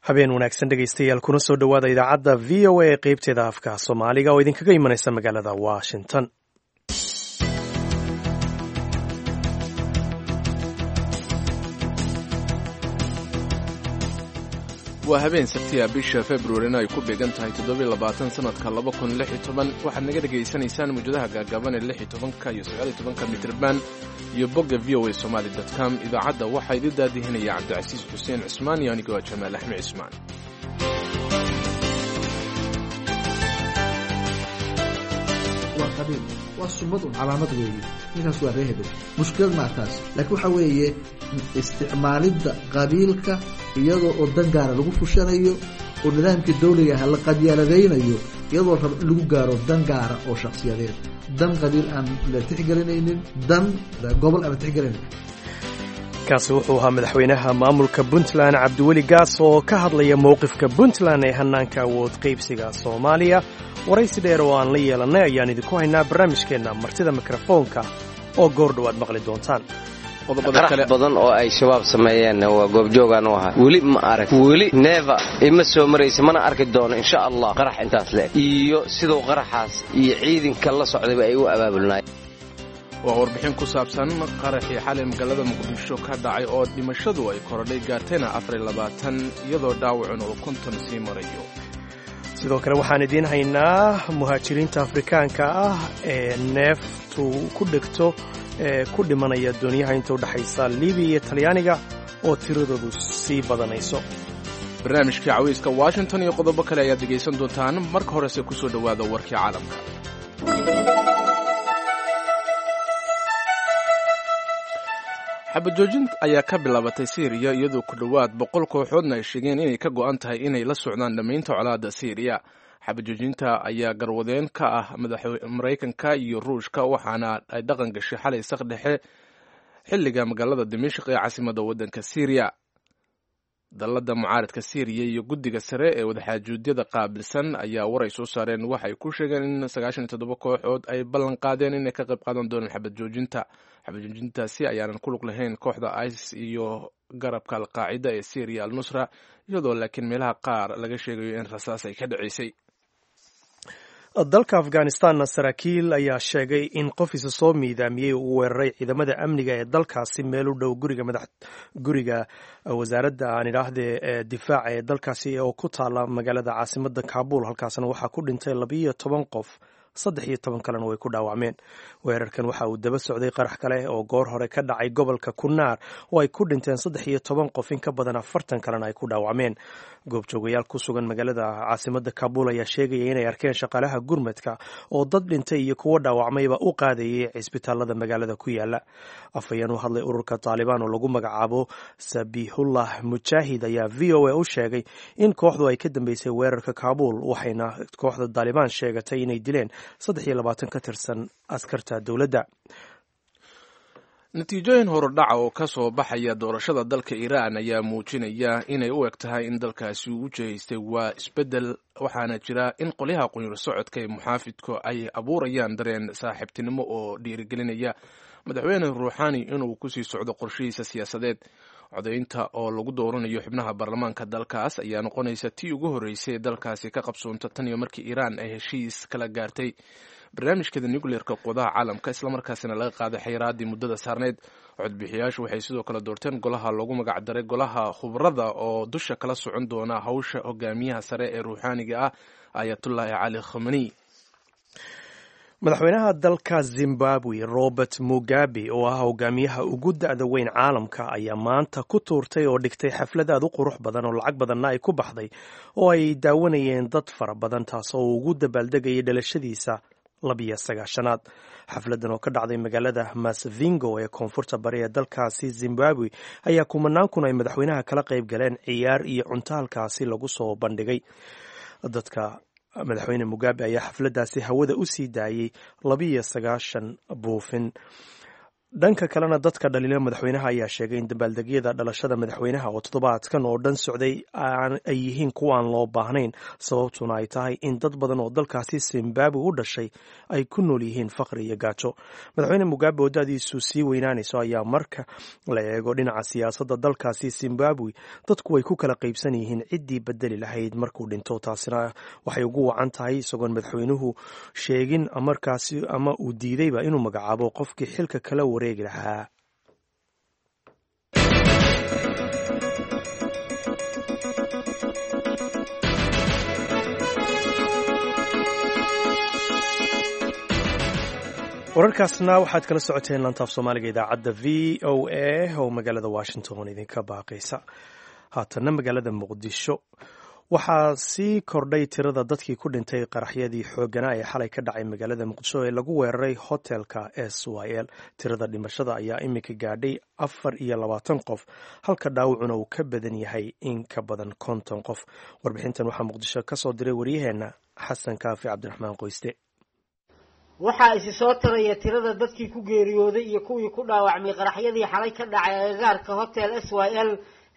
Habeen wanaagsan, dhegaystayaal, kuna soo dhowaada idaacadda VOA ee qeybteeda afka Soomaaliga oo idinkaga imanaysa magaalada Washington. Waa habeen Sabtiya, bisha Februarina ay ku beegan tahay 27 sanadka 2016. Waxaad naga dhegaysanaysaan mawjadaha gaagaaban ee 16-ka iyo 19-ka mitrban iyo bogga voasomali com. Idaacadda waxaa idin daadihinaya Cabdicasiis Xuseen Cusmaan iyo anigoo Jamaal Axmed Cismaan. Waa qabiil, waa sumad un, calaamad weeye. Ninkaas waa ree hebel, mushkilad maa taas, laakiin waxaa weeye isticmaalidda qabiilka iyadoo oo dan gaara lagu fushanayo oo nidaamkii dawliga aha la qabyaaladaynayo, iyadoo raba in lagu gaaro dan gaara oo shakhsiyadeed, dan qabiil aan la tixgelinaynin, dan gobol aan la tixgelinaynin. Kaasi wuxuu ahaa madaxweynaha maamulka Puntland, Cabdiweli Gaas, oo ka hadlaya mowqifka Puntland ee hannaanka awood qaybsiga Soomaaliya. Waraysi dheer oo aan la yeelannay ayaan idinku haynaa barnaamijkeenna martida mikrofoonka oo goor dhowaad maqli doontaan. Qarax badan oo ay Shabaab sameeyeenna waa goobjoogaan u ahaa. Weli ma arag, weli neeva ima soo maraysa, mana arki doono insha Allah qarax intaas leeg iyo siduu qaraxaas iyo ciidanka la socdayba ay u abaabulnaayeen. Waa warbixin ku saabsan qaraxii xalay magaalada Muqdisho ka dhacay oo dhimashadu ay korodhay, gaartayna 24, iyadoo dhaawacun uu 50 sii marayo. Sidoo kale waxaan idiin haynaa muhaajiriinta Afrikaanka ah ee neeftu ku dhegto ee ku dhimanaya dooniyaha inta u dhexaysa Libiya iyo Talyaaniga oo tiradoodu sii badanayso. Barnaamijkii Cawiyska Washington iyo qodobo kale ayaad dhegaysan doontaan. Marka horese ku soo dhowaada warkii caalamka. Xabajoojin ayaa ka bilaabatay Siiriya, iyadoo ku dhowaad 100 kooxoodna ay sheegeen inay ka go'an tahay inay la socdaan dhammaynta colaadda Siiriya. Xabajoojinta ayaa garwadeen ka ah Maraykanka iyo Ruushka, waxaana ay dhaqan gashay xalay saq dhexe xilliga magaalada Dimashq ee caasimadda waddanka Siiriya. Dallada mucaaradka Siiriya iyo guddiga sare ee wadaxaajuudyada qaabilsan ayaa war ay soo saareen waxay ku sheegeen in 97 kooxood ay ballan qaadeen inay ka qayb qaadan doonaan xabadjoojinta. Xabadjoojintaasi ayaanan ku lug lahayn kooxda ISIS iyo garabka Alqaacida ee Syriya, Al Nusra, iyadoo laakiin meelaha qaar laga sheegayo in rasaas ay ka dhaceysay. Dalka Afghanistanna saraakiil ayaa sheegay in qof isa soo miidaamiyey uu weeraray ciidamada amniga ee dalkaasi meel u dhow guriga madax guriga wasaaradda, aan idhaahdee, ee difaaca ee dalkaasi oo ku taala magaalada caasimadda Kaabul. Halkaasna waxaa ku dhintay 12 qof, 13 kalena way ku dhaawacmeen. Weerarkan waxa uu daba socday qarax kale oo goor hore ka dhacay gobolka Kunaar oo ay ku dhinteen 13 qof, in ka badan 40 kalena ay ku dhaawacmeen. Goobjoogayaal ku sugan magaalada caasimadda Kaabul ayaa sheegaya inay arkeen shaqaalaha gurmadka oo dad dhintay iyo kuwo dhaawacmayba u qaadayay cisbitaalada magaalada ku yaala. Afhayeen u hadlay ururka Taalibaan oo lagu magacaabo Sabihullah Mujaahid ayaa VOA u sheegay in kooxdu ay ka dambeysay weerarka Kaabul, waxayna kooxda Taalibaan sheegatay inay dileen 23 ka tirsan askarta dowladda. Natiijooyin horudhaca oo ka soo baxaya doorashada dalka Iiraan ayaa muujinaya inay u eg tahay in dalkaasi uu jihaystay waa isbeddel, waxaana jira in qolyaha qunyar socodka ee muxaafidku ay abuurayaan dareen saaxiibtinimo oo dhiirigelinaya madaxweyne Ruuxaani inuu kusii socdo qorshihiisa siyaasadeed. Codaynta oo lagu dooranayo xubnaha baarlamaanka dalkaas ayaa noqonaysa tii ugu horreysay ee dalkaasi ka qabsoonta tan iyo markii Iiraan ay heshiis kala gaartay barnaamijkeeda nucleerka quwadaha caalamka, islamarkaasina laga qaaday xayiraadii muddada saarneyd. Codbixiyaashu waxay sidoo kale doorteen golaha loogu magacdaray golaha khubrada oo dusha kala socon doona hawsha hogaamiyaha sare ee ruuxaaniga ah, Ayatullaahi Cali Khamani. Madaxweynaha dalka Zimbabwe, Robert Mugabe, oo ah hogaamiyaha ugu da'da weyn caalamka, ayaa maanta ku tuurtay oo dhigtay xaflad aad u qurux badan oo lacag badanna ay ku baxday oo ay daawanayeen dad fara badan, taasoo uu ugu dabaaldegayay dhalashadiisa 92aad. Xafladan oo ka dhacday magaalada Masvingo ee koonfurta bari ee dalkaasi Zimbabwe ayaa kumanaan kun ay madaxweynaha kala qayb galeen ciyaar iyo cunto halkaasi lagu soo bandhigay dadka. Madaxweyne Mugabe ayaa xafladdaasi hawada u sii daayey 92 buufin. Dhanka kalena, dadka dhaliila madaxweynaha ayaa sheegay in dabaaldegyada dhalashada madaxweynaha oo toddobaadkan oo dhan socday ay yihiin kuwaan loo baahnayn, sababtuna ay tahay in dad badan oo dalkaasi Zimbabwe u dhashay ay ku nool yihiin faqri iyo gaajo. Madaxweyne Mugabe oo da'diisu sii weynaanayso ayaa marka la eego dhinaca siyaasadda dalkaasi Zimbabwe dadku way ku kala qaybsan yihiin ciddii bedeli lahayd markuu dhinto. Taasina waxay ugu wacan tahay isagoon madaxweynuhu sheegin markaasi ama uu diidayba inuu magacaabo qofkii xilka kala wareegi lahaa. Wararkaasna waxaad kala socoteen lantaaf Soomaaliga idaacadda VOA oo magaalada Washington idinka baaqaysa. Haatanna magaalada Muqdisho waxaa sii kordhay tirada dadkii ku dhintay qaraxyadii xoogganaa ee xalay ka dhacay magaalada Muqdisho ee lagu weeraray hotelka SYL. Tirada dhimashada ayaa iminka gaadhay 24 qof, halka dhaawacuna uu ka badan yahay in ka badan 50 qof. Warbixintan waxaa Muqdisho ka soo diray waryaheenna Xasan Kaafi Cabdiraxmaan Qoyste. Waxaa isi soo taraya tirada dadkii ku geeriyooday iyo kuwii ku dhaawacmay qaraxyadii xalay ka dhacay agagaarka hotel SYL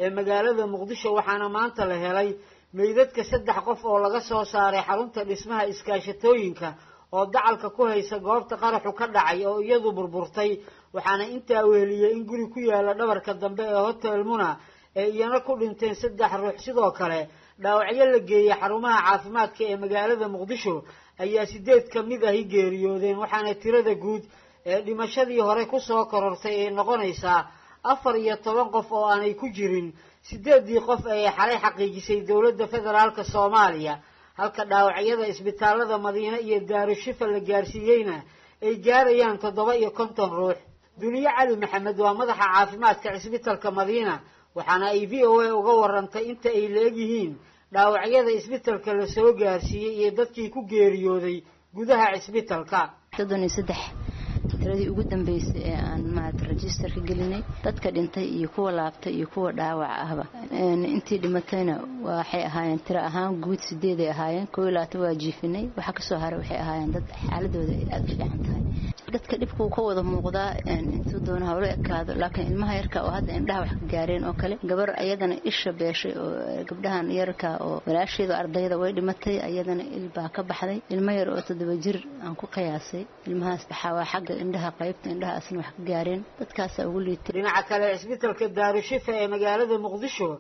ee magaalada Muqdisho, waxaana maanta la helay meydadka 3 qof oo laga soo saaray xarunta dhismaha iskaashatooyinka oo dacalka ku haysa goobta qaraxu ka dhacay oo iyadu burburtay. Waxaana intaa weheliyey in guri ku yaala dhabarka dambe ee hotel Muna ee iyana ku dhinteen 3 ruux. Sidoo kale dhaawacyo la geeyey xarumaha caafimaadka ee magaalada Muqdisho ayaa 8 ka mid ahi geeriyoodeen, waxaana tirada guud ee dhimashadii hore kusoo korortay ay noqonaysaa 14 qof oo aanay ku jirin 8dii qof ee xalay xaqiijisay dowladda federaalka Soomaaliya, halka dhaawacyada isbitaalada Madiine iyo Daarushifa la gaarsiiyeyna ay gaarayaan 57 ruux. Duniye Cali Maxamed waa madaxa caafimaadka cisbitalka Madiina, waxaana ay VOA uga warantay inta ay la egyihiin dhaawacyada isbitalka la soo gaarsiiyey iyo dadkii ku geeriyooday gudaha cisbitalka. 33 tiradii ugu dambeysay ee aan maarata registerka gelinay, dadka dhintay iyo kuwa laabtay iyo kuwa dhaawac ahba. Intii dhimatayna waxay ahaayeen tiro ahaan guud 8 ay ahaayeen, 21 waa jiifinay, waxa kasoo haray waxay ahaayeen dad xaaladooda ay aada u fiican tahay. Dadka dhibka uu ka wada muuqdaa intuu doona hawlo ekaado, laakiin ilmaha yarka oo hadda indhaha wax ka gaareen oo kale, gabar ayadana isha beeshay oo gabdhahan yarka oo walaasheedu ardayda way dhimatay, ayadana il baa ka baxday. Ilmo yar oo 7 jir aan ku qiyaasay ilmahaas waxaa waa xagga indhaha, qaybta indhaha asna wax ka gaareen, dadkaasaa ugu liitay. Dhinaca kale cisbitalka Daarushifa ee magaalada Muqdisho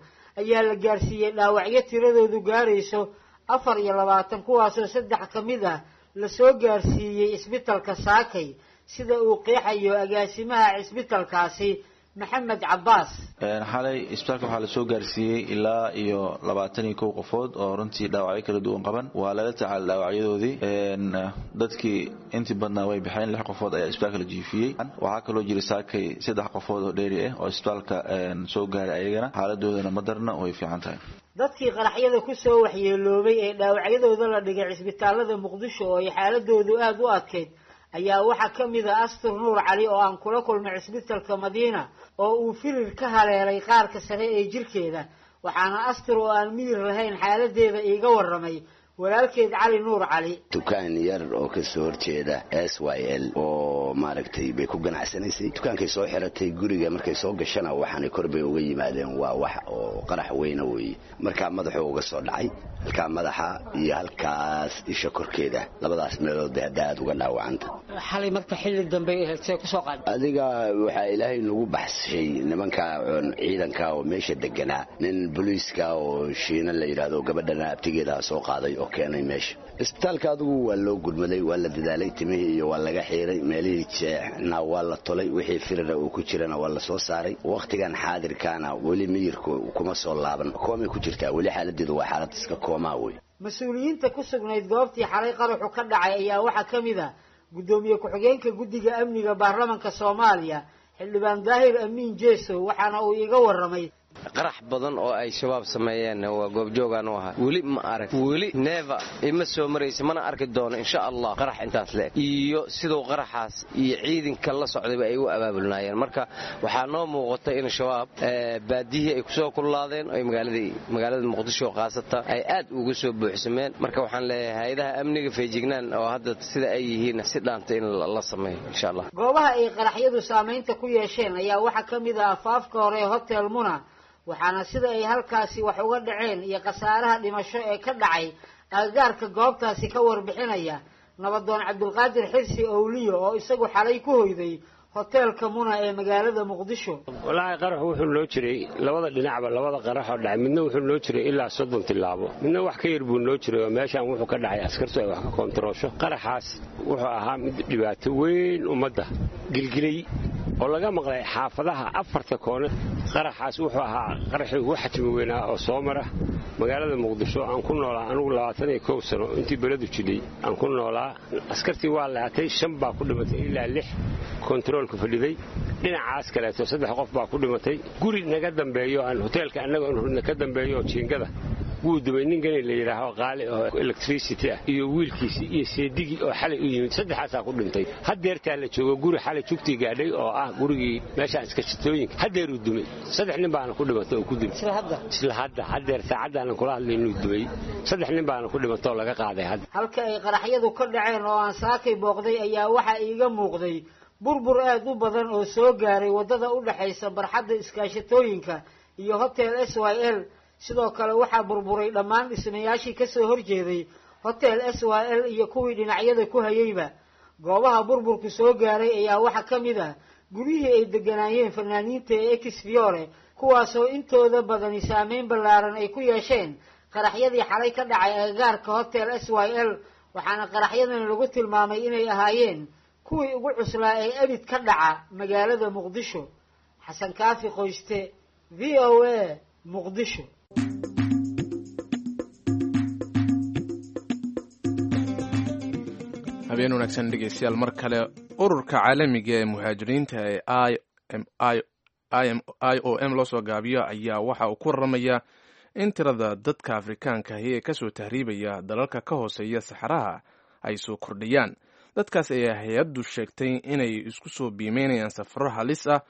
ayaa la gaarsiiyey dhaawacyo tiradoodu gaarayso 24, kuwaasoo 3 ka mid ah la soo gaarsiiyey isbitalka Saakay, sida uu qeexayo agaasimaha cisbitalkaasi Maxamed Cabbaas. Xalay isbitaalka waxaa lasoo gaarsiiyey ilaa iyo 21 qofood oo runtii dhaawacyo kala duwan qaban. Waa lala tacaalay dhaawacyadoodii, dadkii intii badnaa way baxeen, 6 qofood ayaa isbitaalka la jiifiyey. Waxaa kaloo jiray Saakay 3 qofood oo dheeri ah oo isbitaalka soo gaaray, ayagana xaaladoodana ma darna, way fiican tahay. Dadkii qaraxyada ku soo waxyeeloobay ee dhaawacyadooda la dhigay cisbitaalada Muqdisho oo ay xaaladoodu aada u adkayd ayaa waxaa ka mid ah Astur Nuur Cali oo aan kula kulmay cisbitalka Madiina oo uu firir ka haleelay qaarka sare ee jirkeeda. Waxaana Astur oo aan miyir lahayn xaaladeeda iiga warramay walaalkeed Cali Nuur Cali. Dukaan yar oo kasoo horjeeda SYL oo maaragtay bay ku ganacsanaysay, dukaankay soo xiratay, guriga markay soo gashana waxaanay kor bay uga yimaadeen, waa wax oo qarax weyna weeye. Markaa madaxuu uga soo dhacay, halkaa madaxa iyo halkaas isha korkeeda, labadaas meelood bay hadda aada uga dhaawacanta. Xalay marka xilli dambe ahayd see kusoo qaaday adiga? Waxaa Ilaahay nagu baxshay nimanka ciidanka oo meesha deganaa, nin booliiska oo Shiina la yidhaahdo gabadhana abtigeeda soo qaaday oo keenay meesha isbitaalka. Adigu waa loo gudmaday, waa la dadaalay, timihii iyo waa laga xiiray, meelihii jeexna waa la tolay, wixii firira uu ku jirana waa la soo saaray. Wakhtigan xaadirkaana weli miyirku kuma soo laaban, koomay ku jirtaa weli, xaaladeedu waa xaalad iska koomaa wey. Mas-uuliyiinta ku sugnayd goobtii xalay qaraxu ka dhacay ayaa waxaa ka mid ah guddoomiye ku-xigeenka guddiga amniga baarlamanka Soomaaliya, xildhibaan Daahir Amiin Jeesow, waxaana uu iiga warramay Qarax badan oo ay Shabaab sameeyeen waa goobjoogaan u ahaa. Weli ma arag, weli neeva ima soo maraysa, mana arki doono insha Allah qarax intaas leeg iyo siduu qaraxaas iyo ciidanka la socdayba ay u abaabulnaayeen. Marka waxaa noo muuqata in Shabaab baadiyihii ay kusoo kululaadeen, ay magaalada Muqdisho khaasatan ay aad uga soo buuxsameen. Marka waxaan leeyahay hay-adaha amniga feejignaan oo hadda sida ay yihiin si dhaanta in la sameeyo insha Allah. Goobaha ay qaraxyadu saamaynta ku yeesheen ayaa waxaa ka mid ah afaafka hore ee Hotel Muna, waxaana sida ay halkaasi wax uga dhaceen iyo khasaaraha dhimasho ee ka dhacay agagaarka goobtaasi ka warbixinaya nabadoon Cabdulqaadir Xirsi Owliyo oo isagu xalay ku hoyday hoteelka Muna ee magaalada Muqdisho. Walaahi qaraxu wuxuu noo jiray labada dhinacba, labada qaraxoo dhacay midna wuxuu noo jiray ilaa 30 tilaabo, midna wax ka yar buu noo jiray oo meeshaan wuxuu ka dhacay askartu ay wax ka koontaroosho. Qaraxaas wuxuu ahaa mid dhibaato weyn ummadda gilgilay oo laga maqlay xaafadaha afarta koone. Qaraxaas wuxuu ahaa qaraxii ugu xajmi weynaa oo soo mara magaalada Muqdisho. Aan ku noolaa anugu 21 sano intii beledu jidhay aan ku noolaa. Askartii waa laatay, 5 baa ku dhimatay ilaa 6 kontaroolka fadhiday. Dhinacaas kaleeto 3 qof baa ku dhimatay. Guri naga dambeeyo aan hoteelka annaga hurna ka dambeeyo jiingada wuu dumay. Ninkani la yidhaaho qaali oo electricity ah iyo wiilkiisii iyo seedigii oo xalay u yimid, saddexaasaa ku dhintay. Haddeertaa la joogo guri xalay jugtii gaadhay oo ah gurigii meeshaan iskashitooyinka haddeeruu dumay, 3 nin baana ku dhimatay oo ku dumay isla hadda. Haddeer saacaddaanan kula hadlay inuu dumay, 3 nin baana ku dhimatay oo laga qaaday hadda. Halka ay qaraxyadu ka dhaceen oo aan saakay booqday ayaa waxaa iiga muuqday burbur aad u badan oo soo gaaray waddada u dhexaysa barxadda iskaashatooyinka iyo Hotel SYL. Sidoo kale waxaa burburay dhammaan dhismayaashii kasoo horjeeday Hotel SYL iyo kuwii dhinacyada ku hayeyba. Goobaha burburku soo gaaray ayaa waxaa ka mid ah guryihii ay deganaayeen fanaaniinta ee Exfiore, kuwaasoo intooda badani saameyn ballaaran ay ku yeesheen qaraxyadii xalay ka dhacay agagaarka Hotel SYL. Waxaana qaraxyadan lagu tilmaamay inay ahaayeen kuwii ugu cuslaa ee abid ka dhaca magaalada Muqdisho. Xasan Kaafi Qoyste, VOA, Muqdisho. Habeen wanaagsan dhegeystayaal mar kale. Ururka caalamiga ee muhaajiriinta ee IOM loo soo gaabiyo ayaa waxa uu ku waramayaa in tirada dadka Afrikaanka ahi ee kasoo tahriibaya dalalka ka hooseeya saxaraha ay soo kordhayaan. Dadkaas ayaa hay-addu sheegtay inay isku soo biimeynayaan safaro halis ah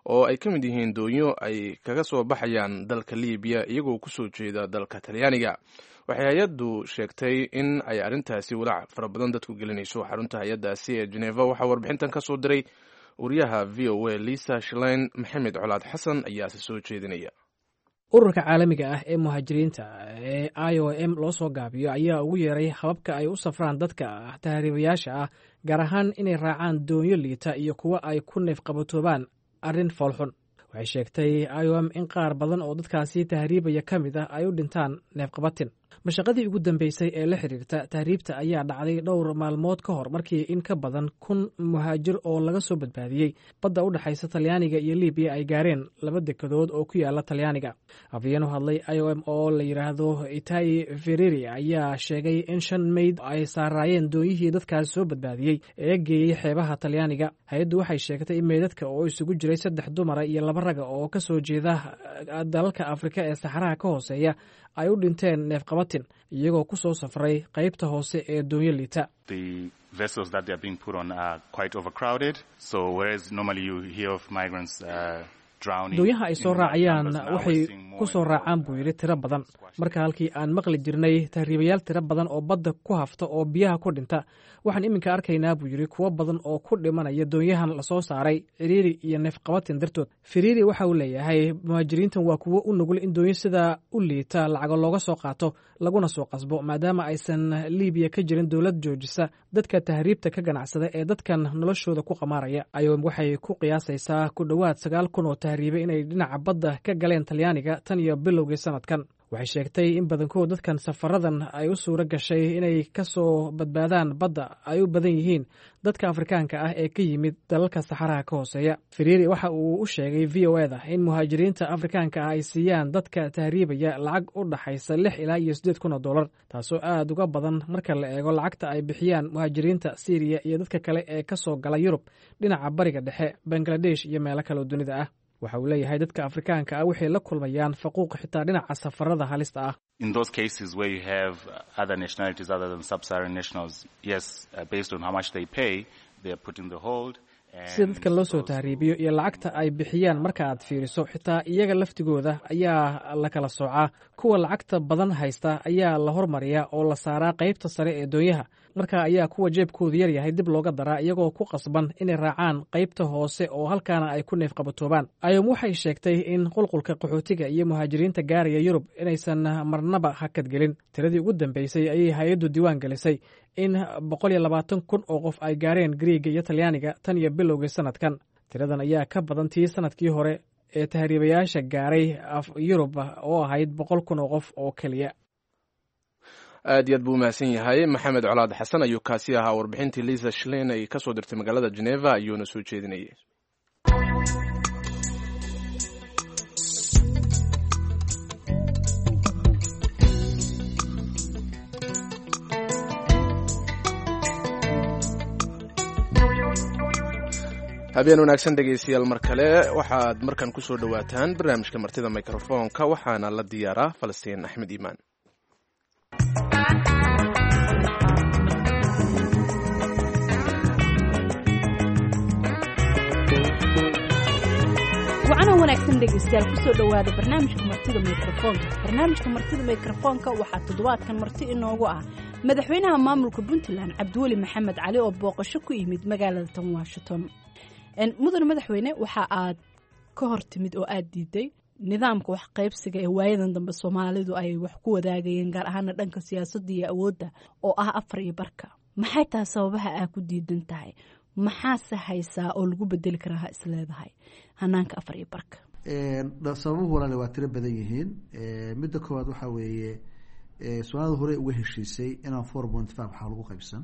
oo ay ka mid yihiin doonyo ay kaga soo baxayaan dalka Libiya iyagoo kusoo jeeda dalka Talyaaniga. Waxay hay-addu sheegtay in ay arrintaasi walaac fara badan dadku gelinayso. Xarunta hay-addaasi ee Geneva waxaa warbixintan ka soo diray wariyaha VOA Lisa Schlein. Maxamed Colaad Xasan ayaase soo jeedinaya. Ururka caalamiga ah ee muhaajiriinta ee IOM loo soo gaabiyo ayaa ugu yeeray hababka ay u safraan dadka tahriibayaasha ah, gaar ahaan inay raacaan doonyo liita iyo kuwa ay ku neefqabatoobaan, arrin foolxun. Waxay sheegtay IOM in qaar badan oo dadkaasi tahriibaya ka mid ah ay u dhintaan neefqabatin. Mashaqadii ugu dambeysay ee la xiriirta tahriibta ayaa dhacday dhowr maalmood ka hor markii in ka badan 1000 muhaajir oo laga soo badbaadiyey badda u dhexaysa Talyaaniga iyo Libiya ay gaareen laba dekadood oo ku yaala Talyaaniga. Afhayeen u hadlay IOM oo la yidhaahdo Itai Fereri ayaa sheegay in 5 meyd ay saaraayeen doonyihii dadkaas soo badbaadiyey ee geeyey xeebaha Talyaaniga. Hay-addu waxay sheegtay in meydadka oo isugu jiray 3 dumara iyo 2 raga oo ka soo jeeda dalalka Afrika ee saxaraha ka hooseeya ay u dhinteen neefqabatin iyagoo ku soo safray qaybta hoose ee doonyo liita. Doonyaha ay soo raacayaan waxay ku soo raacaan, buu yidhi, tiro badan. Marka halkii aan maqli jirnay tahriibayaal tiro badan oo badda ku hafta oo biyaha ku dhinta, waxaan iminka arkaynaa, buu yidhi, kuwo badan oo ku dhimanaya doonyahan lasoo saaray ciriiri iyo neefqabatin dartood. Firiiri waxa uu leeyahay muhaajiriintan waa kuwo u nugul in doonyo sidaa u liita lacago looga soo qaato laguna soo qasbo, maadaama aysan Liibiya ka jirin dowlad joojisa dadka tahriibta ka ganacsada ee dadkan noloshooda ku qamaaraya. IOM waxay ku qiyaasaysaa ku dhowaad 9000 oo tahriibay inay dhinaca badda ka galeen Talyaaniga tan iyo bilowgii sanadkan. Waxay sheegtay in badankood dadkan safaradan ay u suuro gashay inay ka soo badbaadaan badda ay u badan yihiin dadka Afrikaanka ah ee ka yimid dalalka saxaraha ka hooseeya. Firiiri waxa uu u sheegay VOA da in muhaajiriinta Afrikaanka ah ay siiyaan dadka tahriibaya lacag u dhaxaysa 6 ilaa iyo 8000 oo dollar, taasoo aad uga badan marka la eego lacagta ay bixiyaan muhaajiriinta Siiriya iyo dadka kale ee ka soo gala Yurub dhinaca Bariga Dhexe, Bangladesh iyo meelo kale oo dunida ah. Waxa uu leeyahay dadka Afrikaanka ah waxay la kulmayaan faquuq xitaa dhinaca safarada halista ah. In those cases where you have other nationalities other than sub-Saharan nationals, yes, based on how much they pay, they are put in the hold. Sida dadka loo soo tahriibiyo iyo lacagta ay bixiyaan marka aad fiiriso, xitaa iyaga laftigooda ayaa la kala soocaa. Kuwa lacagta badan haysta ayaa la hormariyaa oo la saaraa qaybta sare ee doonyaha. Marka ayaa kuwa jeebkoodu yar yahay dib looga daraa, iyagoo ku qasban inay raacaan qaybta hoose oo halkaana ay ku neefqabatoobaan. IOM waxay sheegtay in qulqulka qaxootiga iyo muhaajiriinta gaaraya Yurub inaysan marnaba hakadgelin. Tiradii ugu dambeysay ayay hay-addu diiwaan gelisay in 120,000 oo qof ay gaareen Griiga iyo Talyaaniga tan iyo bilowgii sanadkan. Tiradan ayaa ka badan tii sanadkii hore ee tahriibayaasha gaaray Yurub oo ahayd 100,000 oo qof oo keliya. Aad iyo aad buu umahadsan yahay Maxamed Colaad Xasan ayuu kaasi ahaa. Warbixintii Lisa Shlein ay kasoo dirtay magaalada Geneva ayuuna soo jeedinayay. Habeen wanaagsan dhegaystayaal, mar kale waxaad markan kusoo dhowaataan barnaamijka martida mikrofoonka, waxaana la diyaaraa Falastiin Axmed Iimaan. Wacanoo wanaagsan dhegaystayaal, kusoo dhowaada barnaamijka martida mikrofoonka. Barnaamijka martida mikrofoonka waxaa toddobaadkan marti inoogu ah madaxweynaha maamulka Puntland, Cabdiweli Maxamed Cali, oo booqasho ku yimid magaalada tan Washington. Mudane madaxweyne, waxa aad ka hor timid oo aad diiday nidaamka wax qaybsiga ee waayadan dambe Soomaalidu ay wax ku wadaagayeen, gaar ahaana dhanka siyaasadda iyo awoodda, oo ah afar iyo barka. Maxay tahay sababaha aa ku diidan tahay? Maxaase haysaa oo lagu bedeli karaa ha isleedahay hanaanka afar iyo barka? Sababuhu walaale waa tiro badan yihiin. Midda koowaad waxaa weeye, Soomaalida horey uga heshiisay inaan 4.5 waxaa lagu qaybsan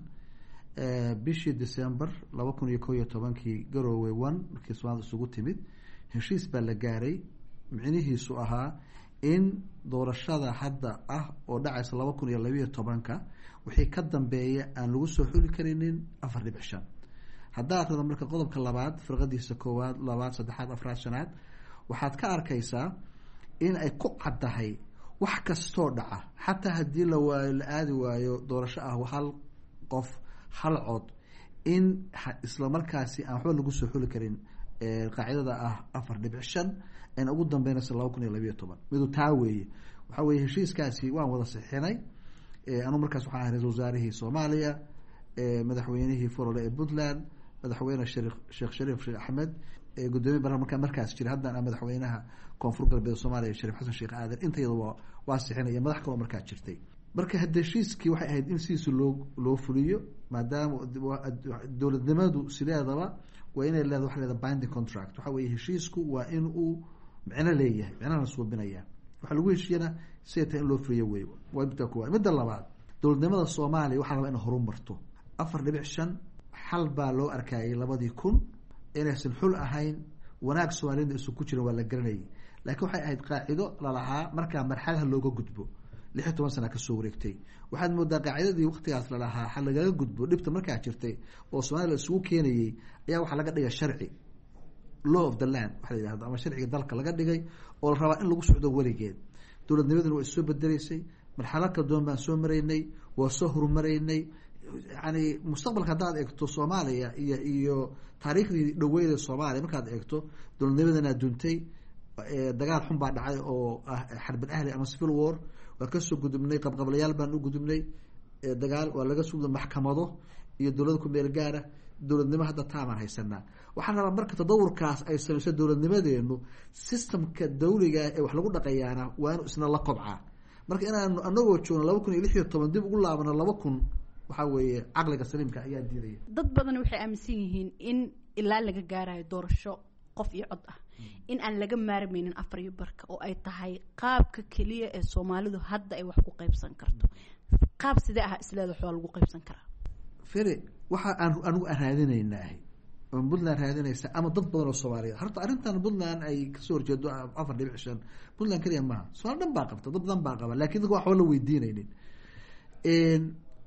bishii December 2011-kii, Garowe 1, markii Soomaalida isugu timid heshiis baa la gaaray micnihiisu ahaa in doorashada hadda ah oo dhacaysa 2012-ka wixii ka dambeeya aan lagu soo xuli karinin 4.5. Haddaa akrida marka qodobka labaad firqadiisa koowaad, labaad, saddexaad, afraad, shanaad, waxaad ka arkaysaa in ay ku caddahay wax kastoo dhaca, xataa haddii la waayo, la aadi waayo doorasho ah hal qof hal cod, in isla markaasi aan waxba lagu soo xuli karin qaacidada ah 4.5, ayna ugu dambeynaysa 2012. Midu taa weeye. Waxaa weye heshiiskaasi waan wada sixinay. Anuu markaas waxaan ahay ra-isul wasaarihii Soomaaliya, madaxweynihii Forole ee Puntland, madaxweyne Sheekh Shariif Sheekh Axmed, gudoomiye baarlamaanka markaas jira, haddana madaxweynaha Koonfur Galbeed Soomaaliya, Shariif Xasan Sheekh Aadan. Intayada waa sixinaya, madax kaloo markaa jirtay. Marka hadda heshiiskii waxay ahayd in sidiisa loo fuliyo, maadaama dowladnimadu sideedaba waa inay leedahay waxa leedahay binding contract. Waxa weeye heshiisku waa in uu micno leeyahay, micnahana suubinaya waxaa lagu heshiiyana siday tahay in loo fuliyo wey. Waa midda koowaad. Midda labaad, dowladnimada Soomaaliya waxaa rabaa inay horumarto. 4.5 xal baa loo arkayay 2000 inaysan xul ahayn, wanaag Soomaaliyada isu ku jirin waa la garanayay, laakiin waxay ahayd qaacido lalahaa markaa marxaladaha looga gudbo. 16 sana kasoo wareegtay, waxaad moodaa qaacidadii waqtigaas lalahaa xal lagaga gudbo dhibta markaa jirtay oo Soomaliya la isugu keenayay ayaa waxaa laga dhigay sharci, law of the land waxa la yihahdo, ama sharciga dalka laga dhigay oo la rabaa in lagu socdo weligeed. Dowladnimaduna waa issoo bedeleysay, marxalad kala duwan baan soo maraynay, waa soo horumaraynay. Yani mustaqbalka haddaad eegto Soomaaliya iyo taariikhdii dhaweyda Soomaaliya markaad eegto, dowladnimadana duntay, dagaal xun baa dhacay oo ah xarbin ahli ama civil war, waa kasoo gudubnay, qabqablayaal baan u gudubnay, dagaal waa laga soo gudubnay, maxkamado iyo dowlada ku meel gaara, dowladnimo hadda taamaan haysanaa. Waxaan rabaa marka tadawurkaas ay samayso dowladnimadeenu, systemka dawliga ee wax lagu dhaqayaana waa inuu isna la kobcaa. Marka inaanu anagoo joogno 2016 dib ugu laabano 2000, waxaa weeye caqliga saliimka ayaa diidaya. Dad badan waxay aaminsan yihiin in ilaa laga gaarayo doorasho qof iyo cod ah in aan laga maarmaynin afar iyo barka, oo ay tahay qaabka keliya ee Soomaalidu hadda ay wax ku qaybsan karto. Qaab sidee ah isleeda wax waa lagu qaybsan karaa? Fere, waxa aan anigu aan raadinaynaahay ama Puntland raadinaysa ama dad badan oo Soomaaliyeed, horta arrintan Puntland ay kasoo horjeedo 4.5, Puntland keliya maaha, Soomaali dhan baa qabta, dad badan baa qaba, laakiin dadka waxba la weydiinaynin.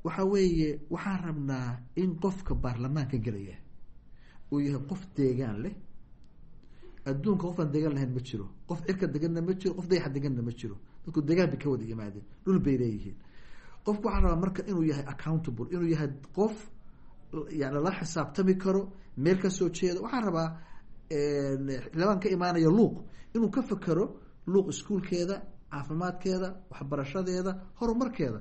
Waxa weeye waxaan rabnaa in qofka baarlamaanka gelaya uu yahay qof deegaan leh, Adduunka qofaan deegaan lahayn ma jiro, qof cirka deganna ma jiro, qof dayaxa deganna ma jiro. Dadku deegaan bay ka wada yimaadeen, dhul bay leeyihiin. Qofku waxaa rabaa marka inuu yahay accountable, inuu yahay qof yani la xisaabtami karo, meel ka soo jeeda. Waxaan rabaa xildhibaan ka imaanaya Luuq inuu ka fekero Luuq, iskuulkeeda, caafimaadkeeda, waxbarashadeeda, horumarkeeda.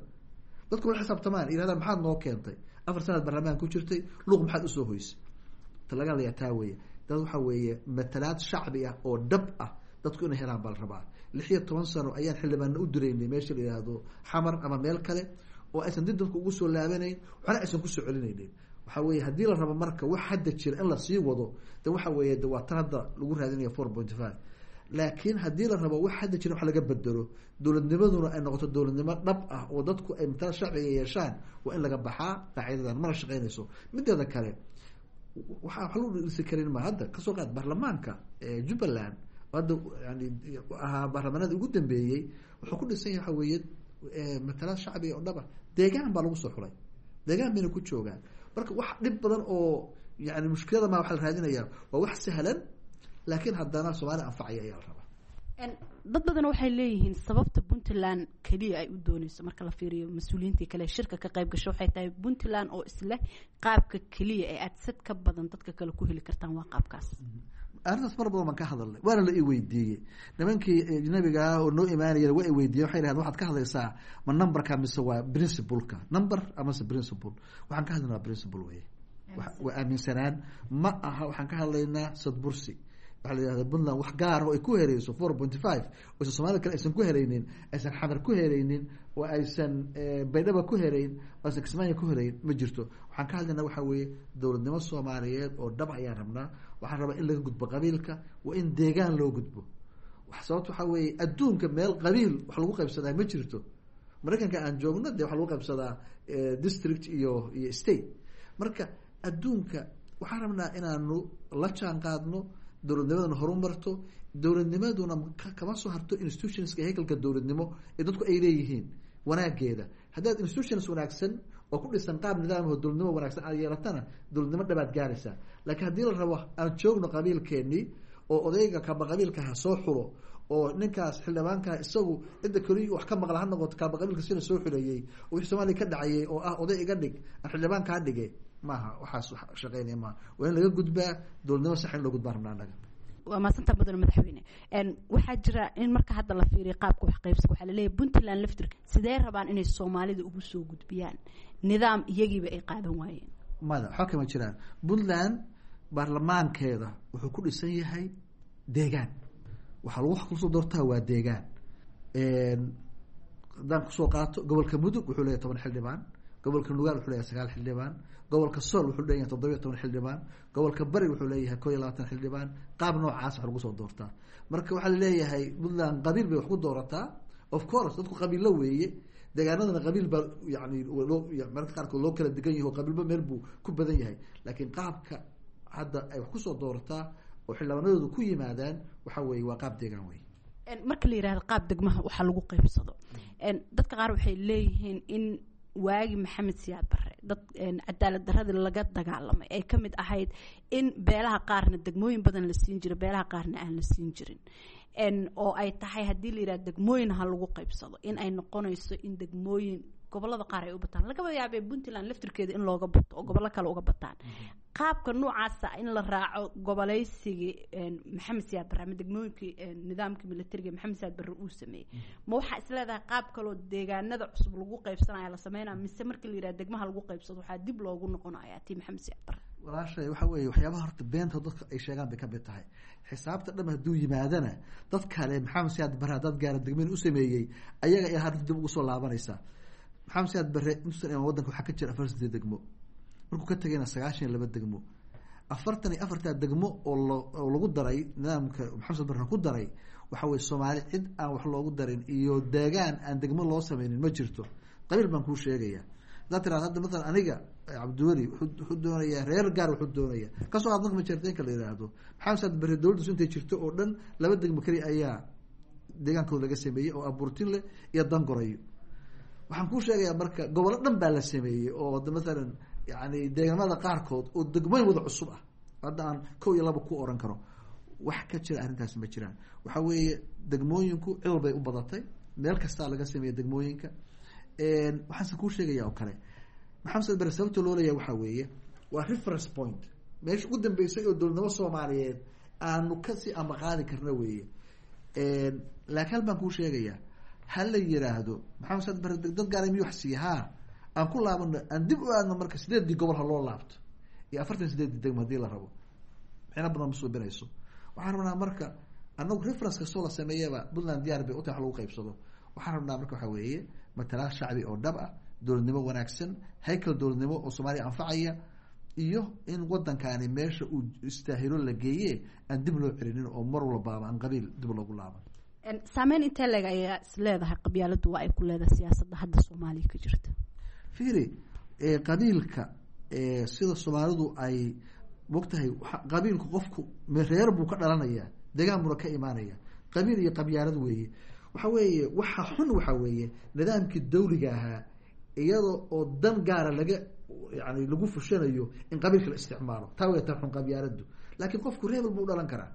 Dadku la xisaabtamaan, yirahdaan maxaad noo keentay 4 sanaad baarlamaan ku jirtay, Luuq maxaad usoo hoysay? Ta laga hadlayaa taa weeye. Dad waxaa weeye matalaad shacbi ah oo dhab ah dadku inay helaan baa la rabaa. 16 sano ayaan xildhibaana u diraynay meesha la yihahdo Xamar ama meel kale oo aysan dib dadku ugu soo laabanayn, waxna aysan kusoo celinaynin. Waxaa weeye haddii la rabo marka wax hadda jira in lasii wado, de waxa weeye de waa tan hadda lagu raadinaya 4.5. Laakiin haddii la rabo wax hadda jira wax laga bedelo, dowladnimaduna ay noqoto dowladnimo dhab ah oo dadku ay matalaad shacbiga yeeshaan, waa in laga baxaa qaacidadan, mana shaqeynayso. Mideeda kale, waxaa wax lagu dhisi karin ma hadda kasoo qaad baarlamaanka Jubbaland hadda yani ahaa baarlamaanada ugu dambeeyey, wuxuu ku dhisan yahay waxa weeye matalaad shacbiga oo dhab ah. Deegaan baa lagu soo xulay, deegaan bayna ku joogaan. Marka wax dhib badan oo yani mushkilada ma waxa la raadinayaa waa wax sahlan, laakiin haddana Soomaaliya anfacaya ayaa la rabaa. Dad badan waxay leeyihiin sababta Puntland keliya ay u dooneyso marka la fiiriyo mas-uuliyiintii kale shirka ka qayb gasho waxay tahay Puntland oo isleh qaabka keliya ee aad sad ka badan dadka kale ku heli kartaan waa qaabkaas. Arrintaas mar badan baan ka hadalnay, waana la i weydiiyey. Nimankii ajnabigaa oo noo imaanaya waa i weydiiyey, waxay dhahdeen waxaad ka hadlaysaa ma numberka mise waa principleka? Number amase principle? Waxaan ka hadlaynaa principle weye, waa aaminsanaan ma aha. Waxaan ka hadlaynaa sadbursi. Waxaa la yihahda Puntland wax gaara oo ay ku helayso 4.5 oysan Soomaalida kale aysan ku helaynin, aysan Xamar ku helaynin, oo aysan Baydhaba ku helayn, oo aysan Kismaayo ku helayn, ma jirto. Waxaan ka hadlaynaa waxaa weeye dowladnimo Soomaaliyeed oo dhab ayaan rabnaa. Waxaan rabaa in laga gudbo qabiilka, waa in deegaan loo gudbo. Sababta waxaa weeye adduunka meel qabiil wax lagu qaybsadaa ma jirto. Maraykanka aan joogno dee waxaa lagu qaybsadaa district iyo state. Marka adduunka waxaan rabnaa inaanu la jaan qaadno, dowladnimadana horumarto. Dowladnimaduna kama soo harto institutionska, haykalka dowladnimo ee dadku ay leeyihiin wanaageeda. Haddaad institutions wanaagsan oo ku dhisan qaab nidaamho dowladnimo wanaagsan aad yeelatana, dowladnimo dhabaad gaaraysaa. Laakiin haddii la rabo aan joogno qabiilkeenii oo odayga kaaba qabiilka ha soo xulo, oo ninkaas xildhibaankaa isagu cidda keliya wax ka maqla ha noqoto kaaba qabiilka sida soo xuleeyey, oo wixii Soomaaliya ka dhacayay oo ah oday iga dhig aan xildhibaan kaa dhige, maaha waxaas shaqeynaya maaha. Waa in laga gudbaa dowladnimo sax in loo gudbaa rabnaa annaga. Waa mahadsantaa mudane madaxweyne. Waxaa jira in marka hadda la fiiriyo qaabka wax qaybsiga, waxaa laleeyahay Puntland laftirka sidee rabaan inay Soomaalida ugu soo gudbiyaan nidaam iyagiiba ay qaadan waayeen? Mada waxba kama jiraan. Puntland baarlamaankeeda wuxuu ku dhisan yahay deegaan, waxaa lagu wax kusoo doortaa waa deegaan. Haddaan kusoo qaato gobolka Mudug wuxuu leeyahay 10 xildhibaan, gobolka Nugaal wuxuu leeyahay 9 xildhibaan, gobolka Sool wuxuu leeyahay 17 xildhibaan, gobolka Bari wuxuu leeyahay 21 xildhibaan. Qaab noocaas wax lagu soo doortaa. Marka waxaa laleeyahay Puntland qabiil bay wax ku doorataa. Of course dadku qabiilo weeye, deegaanadana qabiil baa yani loo mararka qaarkood loo kala degan yahay oo qabiilba meel buu ku badan yahay. Laakiin qaabka hadda ay wax kusoo doorataa oo xildhibaanadoodu ku yimaadaan waxa weeye waa qaab deegaan wey. Marka la yihahdo qaab degmaha waxaa lagu qaybsado, dadka qaar waxay leeyihiin in waagi Maxamed Siyaad Barre dad cadaalad daradii laga dagaalamay ay ka mid ahayd in beelaha qaarna degmooyin badan la siin jiro, beelaha qaarna aan la siin jirin, oo ay tahay haddii la yihahdo degmooyin ha lagu qaybsado in ay noqonayso in degmooyin gobolada qaar ay u bataan, lagaba yaabee Puntland laftirkeeda in looga bato oo gobollo kale uga bataan. Qaabka noocaasa in la raaco goboleysigii Maxamed Siyaad Barre ama degmooyinkii nidaamkii militariga Maxamed Siyaad Barre uu sameeyey, ma waxaa is leedahay qaab kaloo deegaanada cusub lagu qaybsanaya la sameynaya, mise markii la yidhaha degmaha lagu qaybsado waxaa dib loogu noqonaya tii Maxamed Siyaad Barre? Walaashay, waxa weeye waxyaabaha horta beenta dadka ay sheegaan bay kamid tahay. Xisaabta dham hadduu yimaadana dad kale Maxamed Siyaad Barre dad gaara degmeen u sameeyey ayaga ayaa hadda dib ugu soo laabanaysaa. Maxamed Siyaad Barre intuusan imaan wadanka waxaa ka jira 48 degmo, markuu ka tagayna 92 degmo. 44-taa degmo oo oo lagu daray nidaamka Maxamed Siyaad Barre ku daray, waxa weye Soomaali cid aan wax loogu darin iyo deegaan aan degmo loo sameynin ma jirto. Qabiil baan kuu sheegaya, haddaad tiraado hadda mathalan aniga Cabdiweli wuxuu doonayaa reer gaar, wuxuu doonaya kasoo qaad marka majeerteenka la yidhaahdo, Maxamed Siyaad Barre dowladdiisu intay jirto oo dhan 2 degmo keliya ayaa deegaankooda laga sameeyey oo Abuurtinle iyo Dangorayo. Waxaan kuu sheegayaa marka gobollo dhan baa la sameeyey oo mathalan yani deegaamada qaarkood oo degmooyin wada cusub ah hadda aan 1 iyo 2 ku oran karo. Wax ka jira arrintaasi ma jiraan. Waxaa weeye degmooyinku cid walbay u badatay, meel kastaa laga sameeya degmooyinka. Waxaanse kuu sheegaya oo kale, Maxamed Saad Bare sababta loo leeyahay waxaa weeye waa reference point, meesha ugu dambeysay oo dowladnimo Soomaaliyeed aanu kasii amaqaadi karna weeye. Laakiin hal baan kuu sheegayaa, ha la yiraahdo Maxamed Saad Bare dad gaara miyuu wax siiya? Haa, aan ku laabano, aan dib u aadno marka 8dii gobol ha loo laabto iyo 48dii degmo hadii la rabo, micno badan ma suubinayso. Waxaan rabnaa marka anagu reference kastoo la sameeyaba Puntland diyaar bay utahay wax lagu qaybsado. Waxaan rabnaa marka waxaa weeye matalaad shacbi oo dhab ah, dowladnimo wanaagsan, haykal dowladnimo oo Soomaaliya anfacaya, iyo in wadankaani meesha uu istaahilo la geeye aan dib loo celinin oo mar walbaaba aan qabiil dib loogu laaban. Saameyn intee leeg ayaa is leedahay qabyaaladdu waa ay ku leedahay siyaasadda hadda Soomaaliya ka jirta? Fiiri, qabiilka sida Soomaalidu ay mogtahay, qabiilku qofku reer buu ka dhalanayaa, deegaan buuna ka imaanaya. Qabiil iyo qabyaalad weeye. Waxa weeye waxa xun waxaa weeye nidaamkii dawliga ahaa iyada oo dan gaara laga yani lagu fushanayo in qabiilka la isticmaalo, taa wey tan xun qabyaaladu. Laakiin qofku reebel buu u dhalan karaa,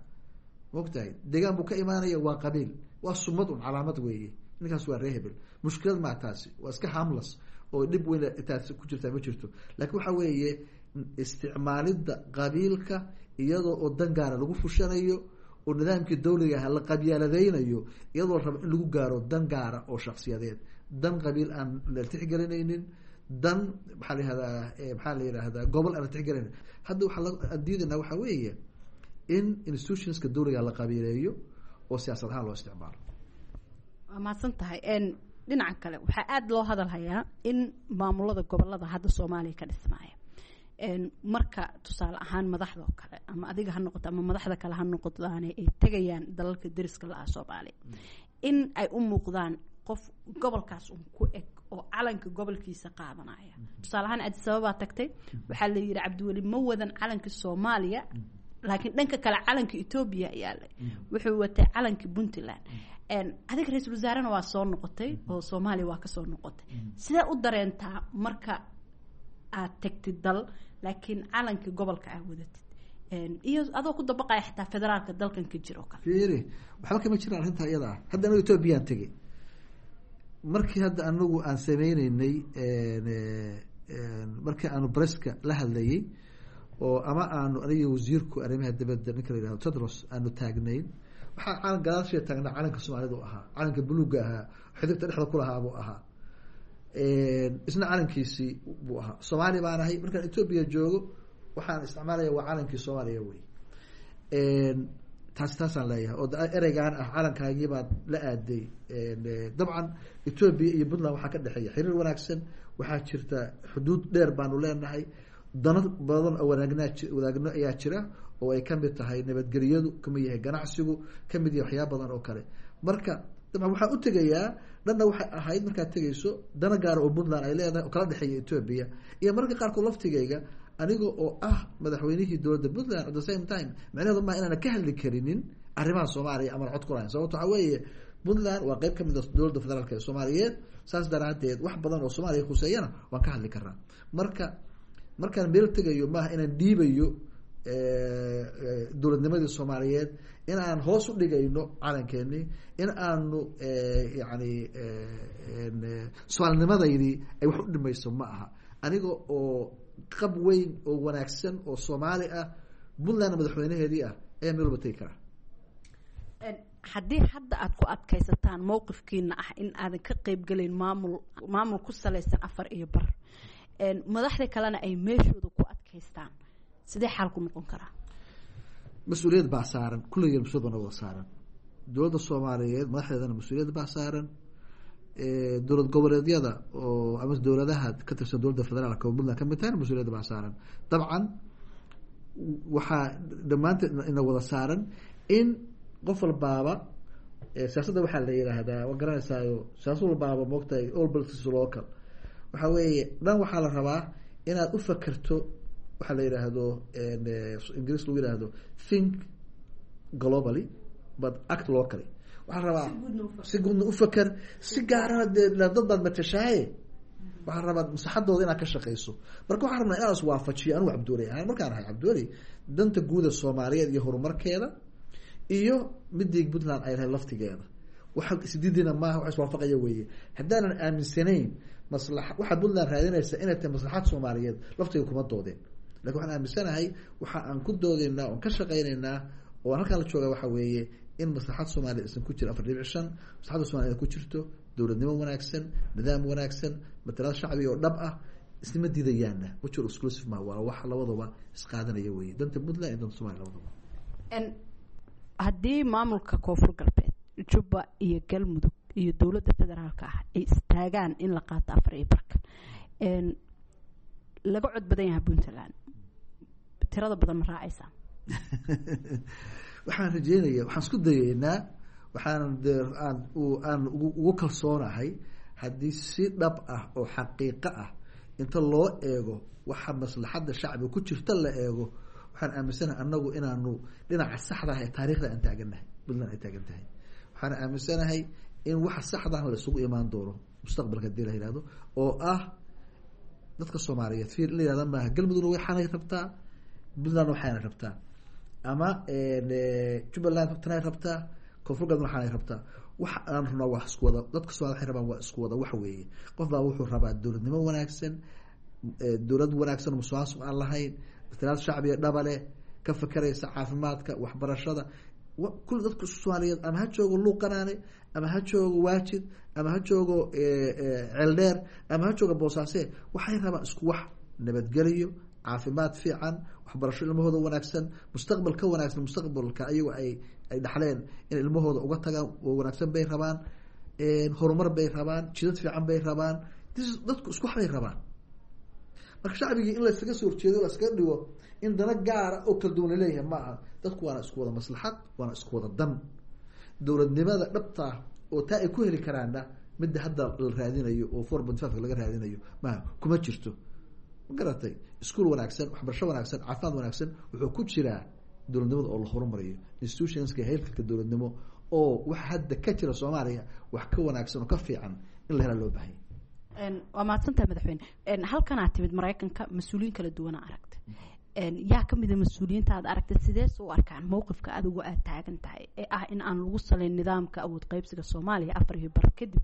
mogtahay, deegaan buu ka imaanaya, waa qabiil, waa sumad un, calaamad weeye, ninkaas waa reehebel. Mushkilad maa taasi, waa iska harmless oo dhib weyn taasi ku jirtaa ma jirto. Laakiin waxa weeye isticmaalidda qabiilka iyadoo oo dan gaara lagu fushanayo oo nidaamkii dawliga aha la qabyaaladeynayo, iyadoo la rabo in lagu gaaro dan gaara oo shaksiyadeed, dan qabiil aan la tixgelinaynin, dan maxaa la yihahdaa, maxaa la yihahdaa, gobol aan la tixgelinaynin. Hadda waxaa aan diidaynaa waxaa weeye in institutionska dawliga la qabiileeyo oo siyaasad ahaan loo isticmaalo. Waa mahadsan tahay. Dhinaca kale waxaa aada loo hadal hayaa in maamulada gobolada hadda Soomaaliya ka dhismaaya, marka tusaale ahaan madaxda oo kale ama adiga ha noqoto ama madaxda kale ha noqotaane, ay tegayaan dalalka deriska la-ah Soomaaliya, in ay u muuqdaan qof gobolkaas un ku eg oo calanka gobolkiisa qaadanaya. Tusaale ahaan Addis Ababaa tagtay, waxaa la yihi Cabdiweli ma wadan calanka Soomaaliya, laakiin dhanka kale calanka Etoobiya yaalay, wuxuu watay calanka Puntland. Adiga ra-iisul wasaarena waa soo noqotay oo Soomaaliya waa kasoo noqotay, sidee u dareentaa marka aad tagtid dal laakiin calanka gobolka aad wadatid, iyo adoo ku dabaqaya xitaa federaalka dalkan ka jiro kale? Fiiri, waxba kama jiraan arrintaa iyada ah. Hadda anagu Ethoobiyan tegey, markii hadda anagu aan sameyneynay, markii aanu breska la hadlayey oo ama aanu aniga wasiirku arrimaha dibadda ninka la yihahdo Tedros aanu taagnayn, waxaa calan gadaashiya taagnaa calanka Soomaalida u ahaa, calanka buluugga ahaa, xidigta dhexda kulahaa buu ahaa, isna calankiisii buu ahaa. Soomaali baan ahay, markaan Etoobiya joogo waxaan isticmaalaya waa calankii Soomaaliya wey. Taasi taasaan leeyahay oo ereygaan ah calankaagii baad la aaday. Dabcan Etoobiya iyo Puntland waxaa ka dhexeeya xiriir wanaagsan, waxaa jirta xuduud dheer baanu leenahay, dano badan oo wanaagnaa wadaagno ayaa jira oo ay kamid tahay nabadgelyadu, kamid yahay ganacsigu, kamid yahay waxyaaba badan oo kale. Marka dabcan waxaan u tegayaa dhanna waxay ahayd markaad tegayso dana gaara oo Puntland ay leedahay oo kala dhexeeya Etoobiya, iyo mararka qaarkood laftigayga aniga oo ah madaxweynihii dowladda Puntland at the same time, micnaheedu maa inaana ka hadli karinin arrimaha Soomaaliya amana cod ku lahayn. Sababto waxaa weeye Puntland waa qeyb kamid a dowladda federaalka ee Soomaaliyeed, saas daraadeed wax badan oo Soomaaliya khuseeyana waan ka hadli karnaa. Marka markaan meel tegayo maaha inaan dhiibayo dowladnimadii Soomaaliyeed, in aan hoos u dhigayno calankeenii, in aanu yani soomaalinimadeydii ay wax u dhimayso ma aha. Aniga oo qab weyn oo wanaagsan oo Soomaali ah, Puntlandna madaxweynaheedii ah, ayaa meel walba tegi karaa. Haddii hadda aad ku adkaysataan mowqifkiina ah in aadan ka qeybgelayn maamul ku salaysan 4.5, madaxda kalena ay meeshooda ku adkaystaan, sidee xaalku noqon karaa? Mas-uuliyad baa saaran kulligeen, mas-uliyad baa na wada saaran. Dowladda Soomaaliyeed madaxdeedana mas-uuliyad baa saaran, dowlad goboleedyada oo ama dowladaha ka tirsan dowladda federaalka oo Puntland kamid tahayna mas-uuliyadda baa saaran. Dabcan waxaa dhammaanteed ina wada saaran in qof walbaaba siyaasadda waxaa la yiraahdaa, waa garanaysaayo, siyaasad walbaaba moogtahay all politics local. Waxaa weeye dhan waxaa la rabaa inaad u fakerto waxaa la yiraahdo Ingiriis lagu yihahdo "think globally but act locally". Waxaa la rabaa si guudna ufaker, si gaarana dee dad baad matashaaye, waxaa rabaa maslaxadooda inaad ka shaqeyso. Marka waxaan rabnaa inaan iswaafajiyo anigu Cabdiweli ahaan markaan ahay Cabdiweli danta guuda Soomaaliyeed iyo horumarkeeda. Iyo midii Puntland ay lahayd laftigeeda, waxa isdiidina maaha, wax iswaafaqaya weeye. Haddaanan aaminsanayn masla waxaad Puntland raadinaysa inay tahay maslaxad Soomaaliyeed, laftiga kuma doodeen. Lakin waxaan aaminsanahay, waxa aan ku doodeynaa oon ka shaqeyneynaa oo aan halkaan la jooga waxa weeye in maslaxad Soomaaliya isan ku jira 4.5, maslaxadda Soomaliya ku jirto dowladnimo wanaagsan, nidaam wanaagsan, matalaad shacbi oo dhab ah. Isnima diidayaanna, mutual exclusive ma waa, wax labadaba isqaadanaya weeye, danta Puntland iyo danta Somalia labadaba. Haddii maamulka Koonfur Galbeed, Jubba iyo Galmudug iyo dowladda federaalka ah ay istaagaan in la qaato afar iyo barka, laga cod badan yahay Puntland, tirada badan ma raacaysaa? Waxaan rajeynaya, waxaan isku dayeynaa, waxaan de aan aan ugu kalsoonahay haddii si dhab ah oo xaqiiqo ah inta loo eego waxa maslaxadda shacbiga ku jirta la eego, waxaan aaminsanahay annagu inaanu dhinaca saxda ah ee taarikhda aan taagannahay, Puntland ay taagan tahay. Waxaan aaminsanahay in waxa saxdahna la isugu imaan doono mustaqbalka hadii la yihahdo, oo ah dadka Soomaaliyeed fiir in la yihahda maaha Galmudugna waxaanay rabtaa, Puntlandna waxaanay rabtaa, ama Jubbaland tanay rabtaa, Koonfur Galbeed waxaanay rabtaa. Waxa aan rabnaa waa isku wada, dadka Somalida waxay rabaan waa isku wada wax weeye. Qof baa wuxuu rabaa dowladnimo wanaagsan, dowlad wanaagsan oo musuqmaasuq aan lahayn, matalaad shacbiga dhabale, ka fakeraysa caafimaadka, waxbarashada kul dadka Soomaaliyeed, ama ha joogo Luuqanaane, ama ha joogo Waajid, ama ha joogo Ceeldheer, ama ha joogo Boosaase, waxay rabaan isku wax: nabadgeliyo, caafimaad fiican, waxbarasho ilmahooda wanaagsan, mustaqbal ka wanaagsan mustaqbalka ayago ay dhaxleen in ilmahooda uga tagaan oo wanaagsan bay rabaan, horumar bay rabaan, jidad fiican bay rabaan. Dadku isku wax bay rabaan. Marka shacbigii in laysaga soo horjeedo, layskaga dhigo in dana gaara oo kala duwan laleeyahay ma aha. Dadku waana isku wada maslaxad, waana isku wada dan. Dowladnimada dhabtaa oo taa ay ku heli karaanna midda hadda la raadinayo oo 4.5 laga raadinayo maha, kuma jirto. Ma garatay? Iskuol wanaagsan, waxbarasho wanaagsan, caafimaad wanaagsan wuxuu ku jiraa dowladnimada oo la horumariyo, institutionska, heelkalka dowladnimo oo waxa hadda ka jira Soomaaliya wax ka wanaagsan oo ka fiican in la helaa loo bahanya. Waa mahadsantahay madaxweyne. Halkan aad timid Maraykanka, mas-uuliyiin kala duwana aragtay. Yaa kamida mas-uuliyiinta aad aragtay? Sidees u arkaan mowqifka adigu aad taagan tahay ee ah in aan lagu saleyn nidaamka awood qaybsiga Soomaaliya afar iyo bar kadib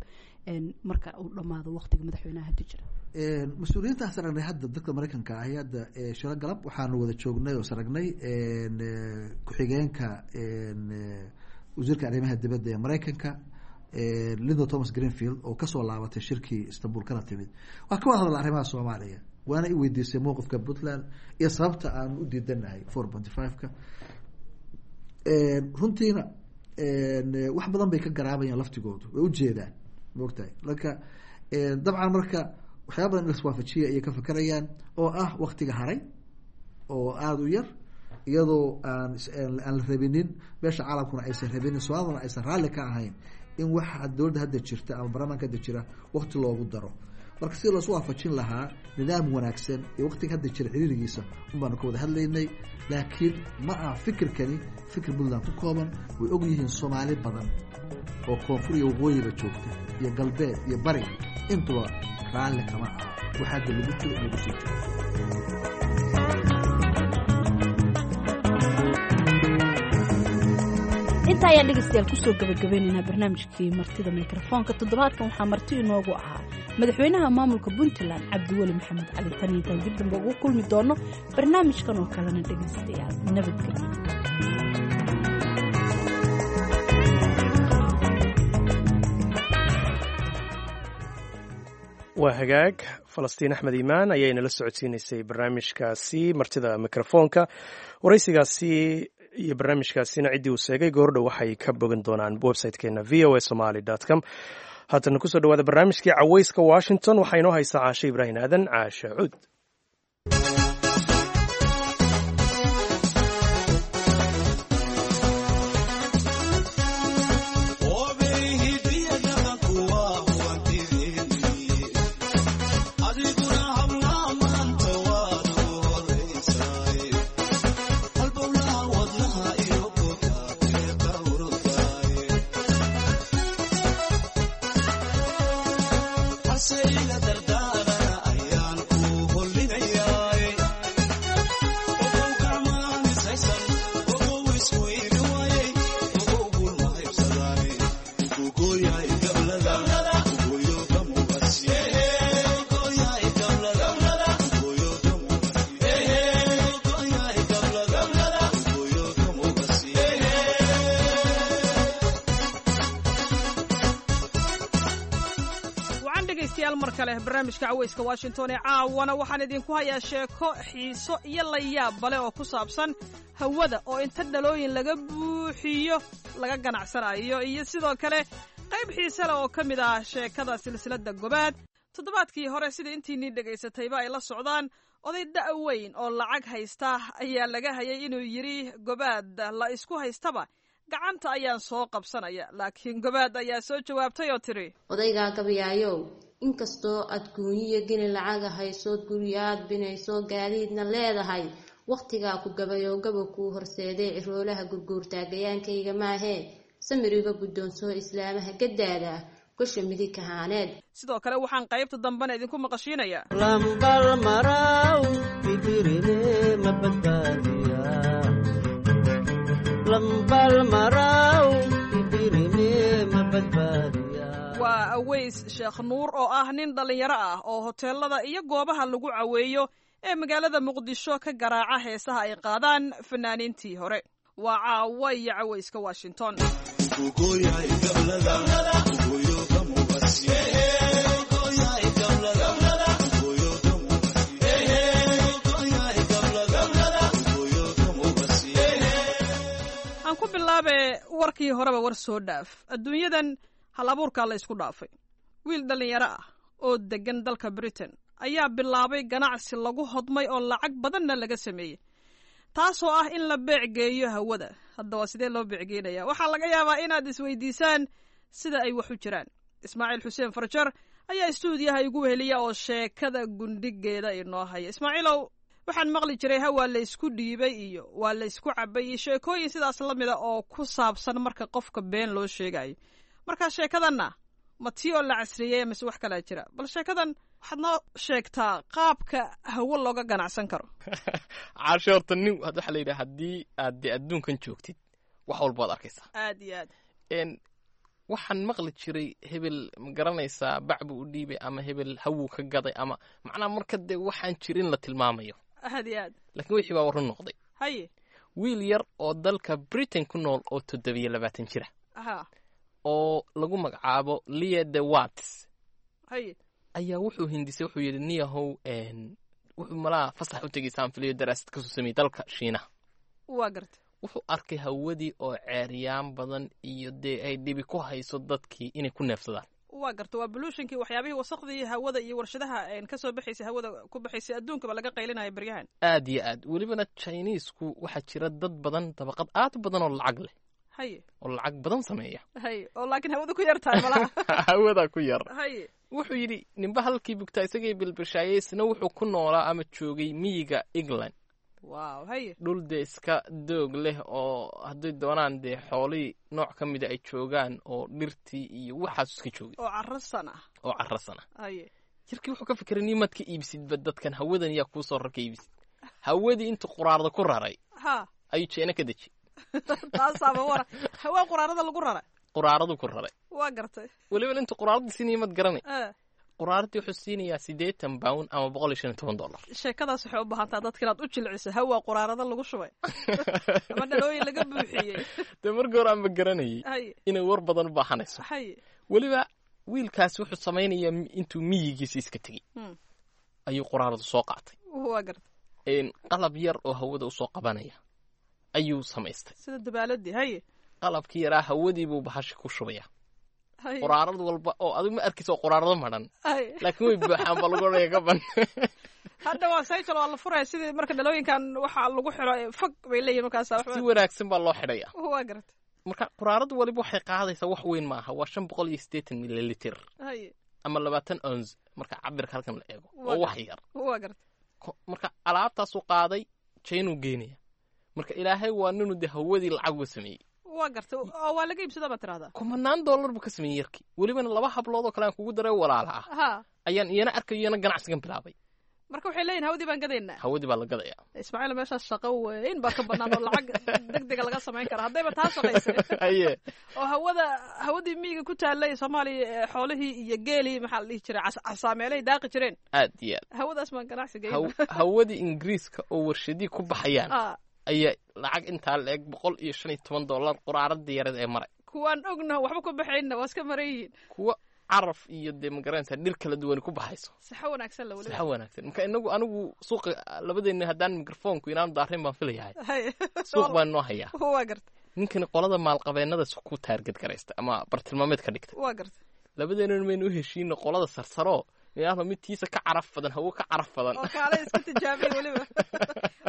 marka uu dhamaado waqtiga madaxweynaha hadda jira? Mas-uuliyiintaas aragnay hadda, dadka Maraykanka ahi, hadda shiro galab waxaanu wada joognay oo saragnay ku-xigeenka wasiirka arrimaha dibadda ee Maraykanka, Linda Thomas Greenfield, oo kasoo laabatay shirkii Istanbul kana timid. Waa ka wada hadla arrimaha Soomaaliya, waana i weydiisay mowqifka Puntland iyo sababta aanu u diidanahay 4.5-ka. Runtiina wax badan bay ka garaabayaan laftigoodu, way ujeedaan, maogtahay. Marka dabcan marka waxyaaba badan in laswaafajiya ayay ka fekerayaan, oo ah waktiga haray oo aada u yar, iyadoo aan aan la rabinin, beesha caalamkuna aysan rabinin, Soomaaliduna aysan raalli ka ahayn in waxa dowladda hadda jirta ama baarlamaanka hadda jira wakti loogu daro. Marka si loosu waafajin lahaa nidaam wanaagsan iyo waktiga hadda jira xiriirigiisa un baanu ka wada hadlaynay. Laakiin ma aha fikirkani fikir Puntland ku kooban, way og yihiin Soomaali badan oo koonfur iyo waqooyiba joogta iyo galbeed iyo bari intuba raalli kama aha waxa hadda lagu jiro in lagu sii jiro. Inta ayaan dhegeystayaal kusoo gabagabaynaynaa barnaamijkii martida mikrofoonka toddobaadkan. Waxaa marti inoogu ahaa madaxweynaha maamulka Puntland Cabdiweli Maxamed Cali. Tan intaan dib dambe ugu kulmi doono barnaamijkan oo kalena, dhegeystayaal, nabadgelyo. Waa hagaag. Falastiin Axmed Iimaan ayay nala socodsiinaysay barnaamijkaasi martida mikrofoonka. Waraysigaasi iyo barnaamijkaasina ciddii uu sheegay goordhow waxay ka bogan doonaan website-keena v o a somali com. Haatana kusoo dhawaada barnaamijkii Caweyska Washington. Waxaa inoo haysaa Caashe Ibraahim Aadan, Caashe Cuud. Say la dardara ayaan ku dhegaystayaal mar kale barnaamijka caweyska Washington ee caawana waxaan idinku hayaa sheeko xiiso iyo layaab leh oo ku saabsan hawada oo inta dhalooyin laga buuxiyo laga ganacsanayo, iyo sidoo kale qayb xiise leh oo ka mid ah sheekada silsiladda Gobaad. Toddobaadkii hore, sida intiinii dhegaysatayba ay la socdaan, oday da' weyn oo lacag haysta ayaa laga hayay inuu yidhi Gobaad la isku haystaba gacanta ayaan soo qabsanaya, laakiin Gobaad ayaa soo jawaabtay oo tidhi: Odaygaa gabayaayow, inkastoo aad guuniyo geni lacaga haysood, guryaad binayso, gaadiidna leedahay, wakhtigaa ku gabayoo gaba kuu horseedee ciroolaha gurguurtaa gayaankayga maahee, samiriga guddoonsoo islaamaha gadaada gosha midig kahaaneed. Sidoo kale waxaan qaybta dambena idinku maqashiinayaa. Lambal maraw idirine ma badbaadiya, lambal maraw idirine ma badbaadiya. Waa Aweys Sheekh Nuur oo ah nin dhallinyaro ah oo hoteelada iyo goobaha lagu caweeyo ee magaalada Muqdisho ka garaaca heesaha ay qaadaan fanaaniintii hore. Waa Caawa iyo Caweyska Washington. Aan ku bilaabe warkii horeba war soo dhaaf, adduunyadan hal abuurkaa la isku dhaafay. Wiil dhallinyaro ah oo deggan dalka Britain ayaa bilaabay ganacsi lagu hodmay oo lacag badanna laga sameeyey, taasoo ah in la beecgeeyo hawada. Haddaba sidee loo beecgeynaya? Waxaa laga yaabaa inaad isweydiisaan sida ay wax u jiraan. Ismaaciil Xuseen Farjar ayaa istuudiyaha igu weheliya oo sheekada gundhigeeda inoo haya. Ismaaciilow, waxaan maqli jiray ha waa la isku dhiibay iyo waa la isku cabay iyo sheekooyin sidaas la mida oo ku saabsan marka qofka been loo sheegayo. Marka sheekadanna ma tii oo la casriyeey mise wax kalaa jira? Bal sheekadan waxaad noo sheegtaa qaabka hawo looga ganacsan karo. Caashe, horta nin waxaa la yidhaha haddii aad dee adduunkan joogtid wax walba waad arkaysaa. Aad iyo aad. Waxaan maqli jiray hebel ma garanaysaa bac buu u dhiibay ama hebel hawuu ka gaday ama macnaha marka dee waxaan jirin la tilmaamayo. Aad iyo aad. Laakiin wixii baa warru noqday. Wiil yar oo dalka Britain ku nool oo 27 jira oo lagu magacaabo Lia de Watts ayaa wuxuu hindisay, wuxuu yidhi niyahow, wuxuu malaha fasax u tegay saanfiliyo daraasad kasoo sameeyey dalka Shiinaha. Waa gartay. Wuxuu arkay hawadii oo ceeryaan badan iyo dee ay dhibi ku hayso dadkii inay ku neefsadaan. Waa garta, waa pollutionkii, waxyaabihii wasaqdii hawada iyo warshadaha ka soo baxaysay, hawada ku baxaysay, adduunkaba laga qaylinayo beryahan. Aad iyo aad. Welibana Chineesku waxaa jira dad badan, dabaqad aad u badan oo lacag leh oo lacag badan sameeya. Haye, oo laakiin hawada ku yar tahay malaha. Hawada ku yar. Wuxuu yidhi ninba halkii bugtaa isagay bilbishaayey, isna wuxuu ku noolaa ama joogay miyiga England. Wow, haye. Dhul dee iska doog leh oo hadday doonaan dee xoolihii nooc ka mida ay joogaan oo dhirtii iyo waxaas iska joogay. Oo carrasan ah. Oo carrasan ah. Jirkii wuxuu ka fikiray nimaad ka iibsidba dadkan hawadan yaa kuu soo rarka iibsid. Hawadii intuu quraarda ku raray ayuu Jeena ka dejiyey. Taasaaba wara, hawaa quraarada lagu raray. Quraaradu ku raray. Waa gartay. Weliba intuu quraarada siinaya mad garanay, quraaradii wuxuu siinayaa £80 ama $115. Sheekadaas waxay u baahantaa dadka inaad u jilciso, hawaa quraarada lagu shubay ama dhalooyin laga buuxiyey. Dee marka hore aanba garanayay inay war badan u baahanayso. Weliba wiilkaasi wuxuu samaynayaa intuu miyigiisa iska tegey ayuu quraaradu soo qaatay. Waa gartay. Qalab yar oo hawada usoo qabanaya ayuu samaystay. Sida dabaaladii, haye. Qalabkii yaraa hawadii buu bahashi ku shubaya. Quraarad walba oo adigu ma arkaysa oo quraarado madhan, laakiin way buuxaan baa lagu odhanaya ka ban. Hadda waa sayjal, waa la furaya sidii marka dhalooyinkan waxaa lagu xiro fog bay leeyihin markaas. Si wanaagsan baa loo xidhaya. Waa gartay. Marka quraarad waliba waxay qaadaysaa wax weyn maaha, waa 580 mililiter ama 20 ons marka cabirka halkan la eego, oo wax yar. Waa gartay. Marka alaabtaasuu qaaday Jaynuu geenaya. Marka Ilaahay waa ninuu dee hawadii lacag uga sameeyey. Waa gartay, oo waa laga iibsada baa tirahdaa. Kumanaan dollar buu ka sameeyey yarkii. Welibana laba hablood oo kale aan kugu daray walaala ah ayaan iyana arkayo, iyana ganacsigan bilaabay. Marka waxay leeyihin hawadii baan gadaynaa. Hawadii baa la gadayaa. Ismaaciil, meeshaas shaqo weyn baa ka bannaan oo lacag degdega laga samayn kara haddayba taa shaqaysay. Oo hawada, hawadii miyiga ku taallay Soomaaliya, xoolihii iyo geelii maxaa la dhihi jiray casaameelay daaqi jireen. Aad iyo aad. Hawadaas baan ganacsi geyn. Hawadii Ingiriiska oo warshadii ku baxayaan ayaa lacag intaa la eg $115 quraaradii yareed ee maray. Kuwaan ognaho waxba ku baxayna waa iska maran yihiin. Kuwa Caraf iyo dee magaranaysaa dhir kala duwan ku baxayso. Saxo wanaagsan la weliba. Saxo wanaagsan. Marka inagu anigu suuqa labadeena haddaan mikrofoonku inaanu daarin baan filayahay. Suuq baan noo hayaa. Waa garta. Ninkani qolada maalqabeennada ku taarget garaysta ama bartilmaameed ka dhigta. Waa garta. Labadeenuna maynu u heshiino qolada sarsaro inaanu mid tiisa ka caraf badan, hawo ka caraf badan. Oo kaale iska tijaabiya weliba,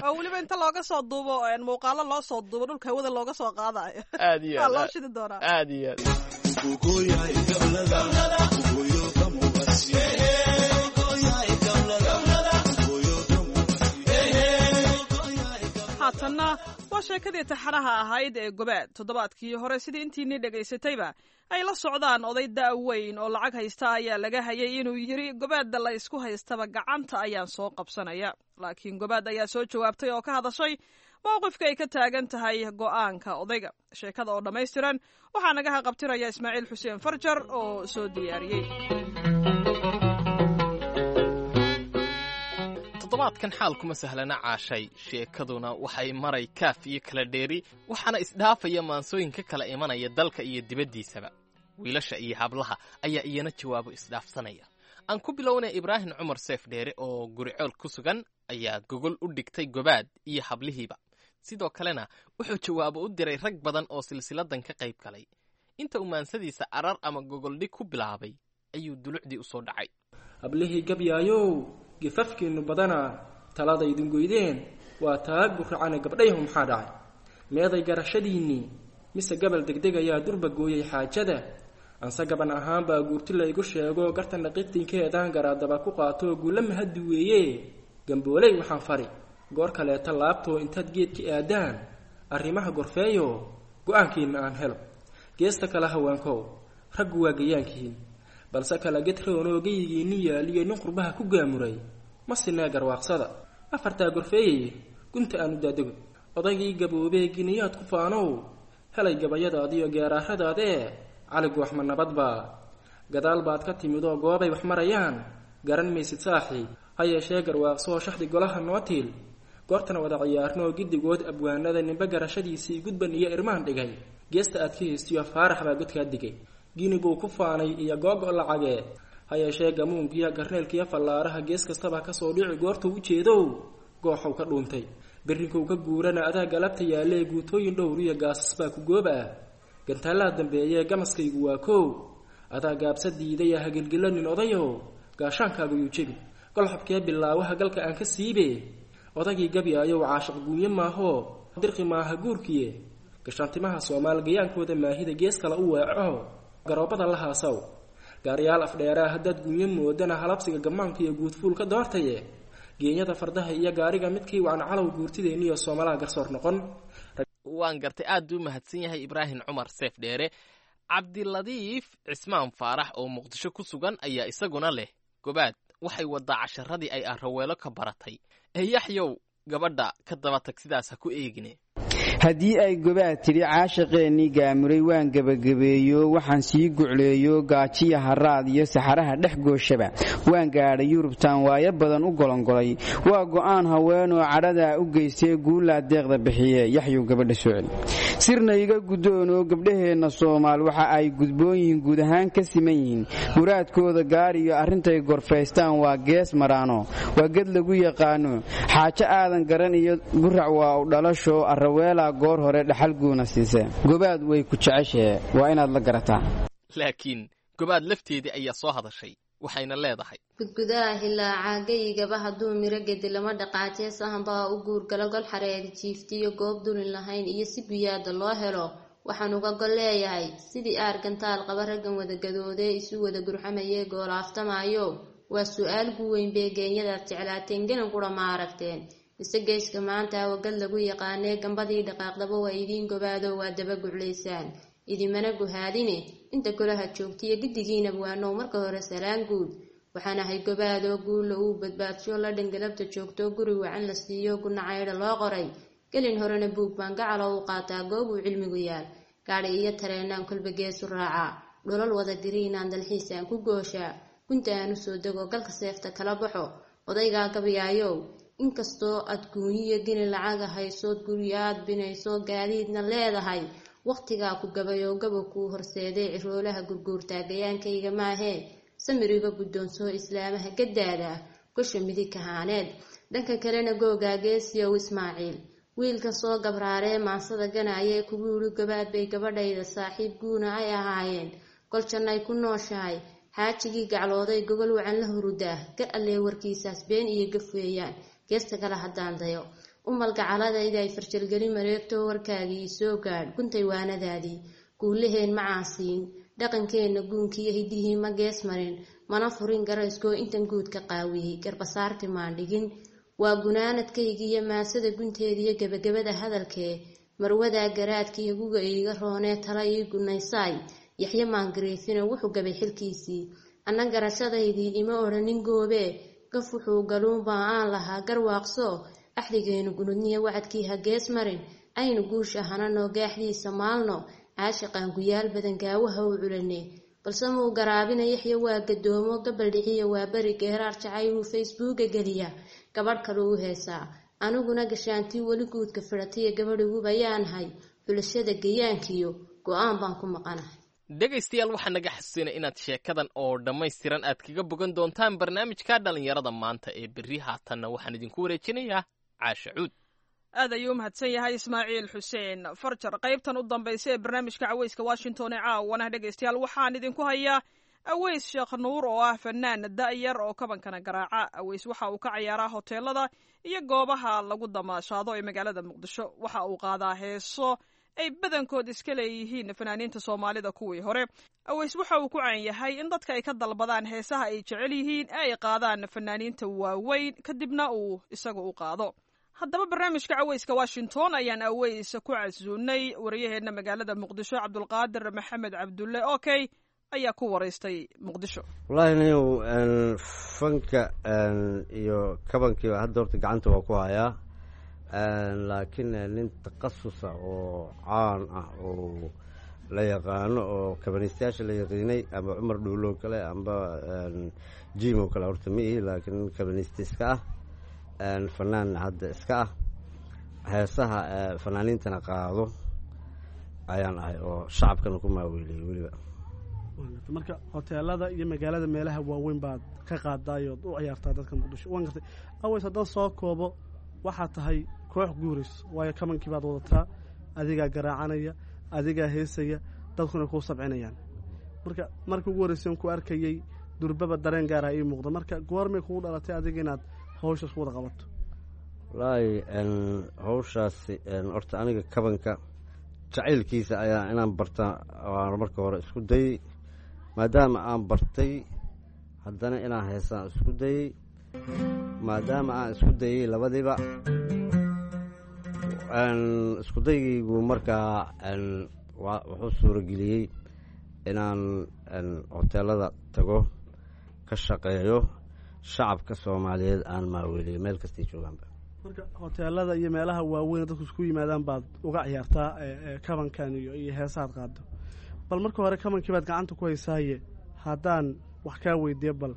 oo weliba inta looga soo duubo muuqaalo loo soo duubo dhulka hawada looga soo qaadayo. Aad iyo aad waa loo shidi doonaa. Aad iyo aad. Haatanna waa sheekadii taxanaha ahayd ee Gobaad. Toddobaadkii hore, sidii intiinii dhegaysatayba ay la socdaan, oday da' weyn oo lacag haysta ayaa laga hayay inuu yidhi gobaadda la isku haystaba gacanta ayaan soo qabsanaya. Laakiin Gobaad ayaa soo jawaabtay oo ka hadashay mowqifka ay ka taagan tahay go'aanka odayga. Sheekada oo dhammaystiran waxaa naga haqabtiraya Ismaaciil Xuseen Farjar oo soo diyaariyey. Toddobaadkan xaalkuma sahlana, Caashay. Sheekaduna waxay maray kaaf iyo kala dheeri, waxaana isdhaafaya maansooyinka kala imanaya dalka iyo dibaddiisaba. Wiilasha iyo hablaha ayaa iyana jawaabo isdhaafsanaya. Aan ku bilownay Ibraahim Cumar Seef Dheere oo guricool ku sugan ayaa gogol u dhigtay Gobaad iyo hablihiiba. Sidoo kalena wuxuu jawaabo u diray rag badan oo silsiladan ka qayb galay. Inta uu maansadiisa arar ama gogoldhig ku bilaabay ayuu dulucdii u soo dhacay. Hablihii gabyaayow, gifafkiinnu badanaa, taladaydin goydeen waa taa gurracane. Gabdhayhu, maxaa dhacay? Meeday garashadiinnii? Mise gabal degdeg ayaa durba gooyey xaajada? Anse gaban ahaan baa guurti laygu sheego gartanna qitinkeedaan garaadaba ku qaato guulla mahaddi weeye. Gambooley waxaan fari goor kaleeta laabtoo intaad geedka aadaan arrimaha gorfeeyo, go-aankiinna aan helo. Geesta kale haweenkow, raggu waa gayaankihiin, balse kala gedroonoo geyigiinni yaaliyo nin qurbaha ku gaamuray ma sinee. Garwaaqsada afartaa gorfeeyay gunta aanu daadego. Odaygii gaboobee giniyaad ku faanow, helay gabayadaadiyo geeraaradaadee. Cali gooxma nabadbaa? Gadaal baad ka timidoo goobay wax marayaan garan maysid saaxiib. Ha yeeshee garwaaqsoo shaxdi golaha noo tiil, goortana wada ciyaarnoo giddigood abwaanada ninba garashadiisii gudban iyo irmaan dhigay. Geesta aad ka haystiyo Faarax baa godkaa digay, gini buu ku faanay iyo googo lacagee. Ha yeeshee gamuunkiiyo garneelkiiyo fallaaraha gees kastaba kasoo dhici goortuu u jeedow gooxow ka dhuuntay. Berrinkow ka guurana adaa galabta yaallee, guutooyin dhowr iyo gaasas baa ku gooba ah, gantaalaha dambeeyee gamaskaygu waa koow. Adaa gaabsa diidaya, hagilgilanin odayow, gaashaankaagu yuu jebi golxabkee bilaawaha galka aan ka siibe. Odagii gabyaayow, caashiq guunye maahoo dirqi maaha guurkiye. Gashaantimaha Soomaal gayaankooda maahida gees kale u weeco, garoobada la haasaw gaaryaal afdheeraa. Haddaad guunyo moodana halabsiga gammaanka iyo guudfuul ka doortaye, geenyada fardaha iyo gaariga midkii wacan calow guurtideenniyo Soomalaha garsoor noqon. Waan gartay, aad buu mahadsan yahay Ibraahim Cumar Seef Dheere. Cabdiladiif Cismaan Faarax oo Muqdisho ku sugan ayaa isaguna leh Gobaad waxay waddaa casharadii ay Araweelo ka baratay ee Yaxyow gabadha ka daba tag, sidaas ha ku eegine. Haddii ay Gobaad tidhi caashiqeennii gaamuray waan gebagabeeyo, waxaan sii gucleeyo gaajiya haraad iyo saxaraha dhex gooshaba, waan gaadhay Yurubtaan waayo badan u golongolay. Waa go'aan haweenoo cadhadaa u geystee guullaa deeqda bixiye. Yaxyow gabadha soo celi, sirna iga guddoonoo gabdhaheenna Soomaal waxa ay gudboon yihiin, guud ahaan ka siman yihiin muraadkooda gaar iyo arrintay gorfaystaan waa gees maraano, waa ged lagu yaqaano xaajo aadan garan iyo gurac waa u dhalasho. Araweelaa goor hore dhaxal guuna siise. Gobaad way ku jeceshahe, waa inaad la garataa. Laakiin Gobaad lafteedii ayaa soo hadashay, waxayna leedahay: Gudgudaha hilaaca geyigaba hadduu miro gedi lama dhaqaajee, sahanbaa u guurgalo gol xareedi jiiftiyo goob dulin lahayn iyo si guyaada loo helo. Waxaan uga gol leeyahay sidii aargantaal qaba raggan wada gadoodee isu wada gurxamayee goolaaftamaayo. Waa su-aal guweyn bee geenyadaad jeclaateen ganan qura ma aragteen? Mise geeska maanta wagad lagu yaqaanee gambadii dhaqaaqdaba waa idiin gobaado, waa daba guclaysaan, idimana guhaadine. Inta golaha joogtiyo giddigiinab waanow, marka hore salaan guud. Waxaan ahay Gobaadoo guulla uu badbaadsho la dhangalabta joogto, guri wacan la siiyo, gunacaydha loo qoray. Gelin horena buug baan gacalo u qaataa goob uu cilmigu yaal, gaadhi iyo tareenaan kolba geesu raacaa, dhulal wada diriinaan dalxiisaan ku gooshaa. Gunta aan u soo dego, galka seefta kala baxo. Odaygaa gabyaayow, inkastoo aad guunyiyo gini lacaga haysood, guryaad binayso, gaadiidna leedahay, Wakhtigaa ku gabayoo gabo kuu horseeday ciroolaha gurguurtaa gayaankayga maahee, samiriga guddoonsoo islaamaha gadaada gosha midig kahaaneed. Dhanka kalena googaa Geesiyow Ismaaciil, wiilka soo gabraaree maansada ganaayee kugu yidhi gobaad bay gabadhayda saaxiib guuna ay ahaayeen, goljannay ku nooshahay, xaajigii gaclooday gogol wacan la hurudaa, gar allee warkiisaas been iyo gaf weeyaan. Geesta kale haddaan dayo, umal gacaladayda ay farjalgeli mareegto, warkaagii soo gaadh guntay waanadaadii. Guulaheen ma caasiin, dhaqankeenna guunkiiyo hidihii ma gees marin, mana furin garayskoo intan guud ka qaawiyey garbasaarti maan dhigin. Waa gunaanadkaygiiyo maasada gunteediyo gebagabada hadalkee, marwadaa garaadkiiyo guga iiga roonee tala ii gunaysaay. Yaxye maangariifina wuxuu gabay xilkiisii, anna garashadaydii ima odhanin goobee, gaf wuxuu galuunbaa aan lahaa garwaaqso. Axdigeenu gunudniya wacadkii ha gees marin, aynu guusha hananoo gaaxdiisa maalno, caashiqaan guyaal badan gaawaha u culane. Balse muu garaabina Yaxya, waa gadoomo gabaldhiciya, waa beri geeraar jacayluu Facebooka geliya, gabadh kale u heesaa. Aniguna gashaantii weli guudka fidhatiya gabadhigubayaanahay, xulashada gayaankiyo go-aan baan ku maqanahay. Dhegaystayaal, waxaa naga xasuusinay inaad sheekadan oo dhammaystiran aad kaga bogan doontaan barnaamijka dhallinyarada maanta ee berri. Haatanna waxaan idinku wareejinayaa Caasha Cuud. Aad ayuu u mahadsan yahay Ismaaciil Xuseen Farjar. Qaybtan u dambaysa ee barnaamijka Caweyska Washington ee caawana, dhegaystayaal, waxaan idinku hayaa Aweys Sheekh Nuur oo ah fanaan da'yar oo kabankana garaaca. Aweys waxa uu ka ciyaaraa hoteelada iyo goobaha lagu damaashaado ee magaalada Muqdisho. Waxa uu qaadaa heeso ay badankood iska leeyihiin fanaaniinta Soomaalida kuwii hore. Aweys waxa uu ku caan yahay in dadka ay ka dalbadaan heesaha ay jecel yihiin ee ay qaadaan fanaaniinta waaweyn, kadibna uu isagu u qaado. Haddaba barnaamijka Caweyska Washington ayaan Aweys ku casuunay. Wariyaheenna magaalada Muqdisho, Cabdulqaadir Maxamed Cabdulle Okey, ayaa ku waraystay Muqdisho. Wallaahi niyow, fanka iyo kabankiiba hadda horta gacanta waa ku hayaa, laakiin nin takhasusa oo caan ah oo la yaqaano oo kabaniistayaasha la yaqiinay ama Cumar Dhuulo kale amba Jim oo kale horta ma ihi, laakiin nin kabaniista iska ah, fanaan hadda iska ah, heesaha fanaaniintana qaado ayaan ahay oo shacabkana ku maaweeliyey weliba. Marka hoteelada iyo magaalada meelaha waaweyn baad ka qaadaayood u ciyaartaa dadka Muqdisho, waan gartay. Aweys, haddaan soo koobo, waxaa tahay koox guurays, waayo kamankii baad wadataa, adigaa garaacanaya, adigaa heesaya, dadkuna kuu sabcinayaan. Marka markii ugu horreysay ku arkayey durbaba dareen gaara ii muuqda. Marka goormay kugu dhalatay adiga inaad hawshaas ku wada qabato? Wallaahi hawshaasi horta aniga kabanka jacaylkiisa ayaa inaan barta waan marka hore isku dayey. Maadaama aan bartay, haddana inaan heesaan isku dayey. Maadaama aan isku dayey labadiiba isku daygaygu, markaa wuxuu suurageliyey inaan hoteelada tago, ka shaqeeyo, shacabka Soomaaliyeed aan maaweeliyo meel kastay joogaanba. Marka hoteelada iyo meelaha waaweyn dadku isku yimaadaan baad uga ciyaartaa kabankan iyo heesahaad qaado. Bal marka hore kabankii baad gacanta ku haysaaye, haddaan wax kaa weydiiyo, bal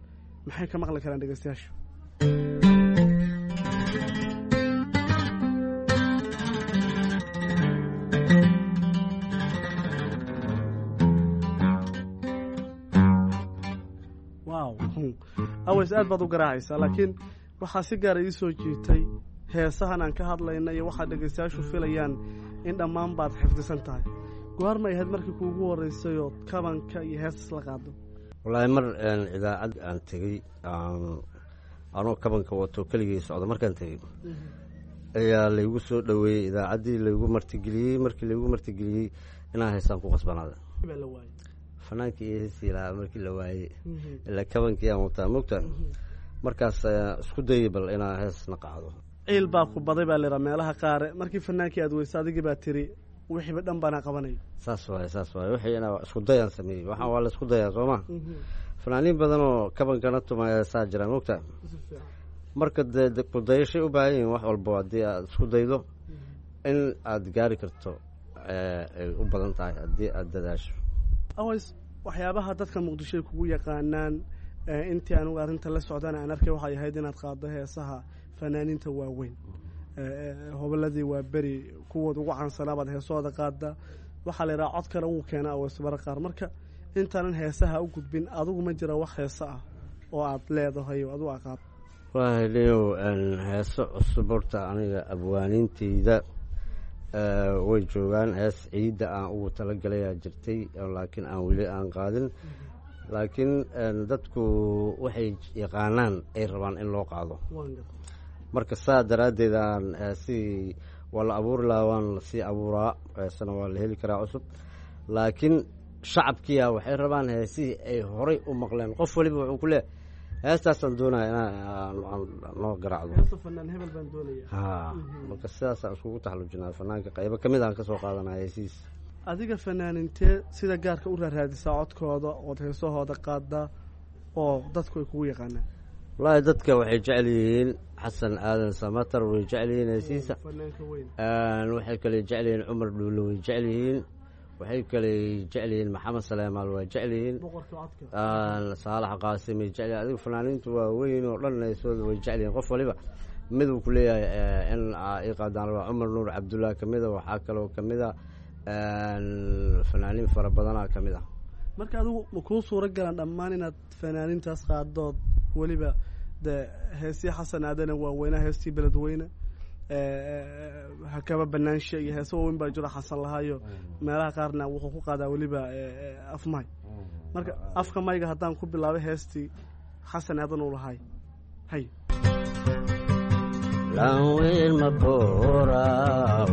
maxay ka maqli karaan dhegeystayaashu? Wow, Aweys, aad baad u garaacaysaa, laakiin waxaa si gaara ii soo jiitay heesahan aan ka hadlayna iyo waxaad dhegaystayaashu filayaan in dhammaan baad xifdisan tahay. Goormay ahayd markii kuugu horreysayoo kabanka iyo heestas la qaado? Wallaahi mar idaacad aan tegey anoo kabanka wato keligii socda, markaan tegey ayaa laygu soo dhoweeyey idaacaddii, laygu martigeliyey. Markii laygu martigeliyey inaan heesaan ku qasbanaada, fanaankii iyo heestii lahaa markii la waayey, ilaa kabankii aan wataa mogta, markaas isku dayey bal inaan heesna qaado. Ciil baa ku baday baa layihaa meelaha qaare, markii fanaankii aad weysa adigii baa tiri wixiiba dhan baana qabanaya. Saas waaye, saas waaye. Wixii inaa isku dayaan sameeyey, waxaan waa la isku dayaa sooma. Fanaaniin badan oo kabankana tuma heesaa jiraan mogta. Marka dee ku dayashay u baahan yihiin wax walbo, haddii aad isku daydo in aad gaari karto ay u badan tahay haddii aad dadaasho. Aways, waxyaabaha dadka Muqdisho ay kugu yaqaanaan intii anugu arrinta la socdana aan arkay waxay ahayd inaad qaaddo heesaha fanaaniinta waaweyn, hobolladii waa beri kuwooda ugu caansanaa baad heesahooda qaadda, Waxaa la yidhaha cod kale wuu keenaa Aweys mara qaar. Marka intaanan heesaha u gudbin, adigu ma jira wax heese ah oo aad leedahay oo adigu aqaad? Wallaahi leyow, heeso cusub horta aniga abwaaniinteyda way joogaan. Hees ciidda aan ugu talagalayaa jirtay, laakiin aan weli aan qaadin. Laakiin dadku waxay yaqaanaan ay rabaan in loo qaado. Marka saa daraaddeed aan heesihii waa la abuuri lahaa, waan lasii abuuraa, heesana waa la heli karaa cusub, laakiin shacabkiia waxay rabaan heesihii ay horay u maqleen. Qof waliba wuxuu ku leeyahay heestaasaan doonaya inaa noo garaacdo. Heesta fanaan hebel baan doonaya. Ha, marka sidaasaan iskugu taxallujinaa, fanaanka qaybo ka mid aan ka soo qaadanaya heesihiis. Adiga fanaanintee sida gaarka u raaraadisaa codkooda ood heesahooda qaadaa oo dadku ay kugu yaqaanaan? Wallaahi dadka waxay jecel yihiin Xasan Aadan Samatar, way jecel yihiin heesihiisa. Fanaanka weyn. Waxay kale jecel yihiin Cumar Dhuulle, way jecel yihiin. Waxay kale jecel yihiin Maxamed Saleemaal, waa jecel yihiin. Boqorka codka. Saalax Qaasim ay jecel yihiin. Adiga fanaaniintu waa weyn oo dhan heesooda way jecel yihiin. Qof waliba mid uu ku leeyahay in ii qaadaan rabaa. Cumar Nuur Cabdullah ka mid a, waxaa kaloo ka mid a fanaaniin fara badanaa ka mid ah. Marka adigu ma kuu suuro galaan dhammaan inaad fanaanintaas qaadood, weliba dee heesii Xasan Aadane waaweynaha, heestii Beledweyne, Hakaba Banaanshe iyo heese waaweyn baa jiro Xasan lahaayo, meelaha qaarna wuxuu ku qaadaa weliba afmay. Marka afka mayga haddaan ku bilaabay heestii Xasan Aadan uu lahaay, hay. Laanweyn ma booraw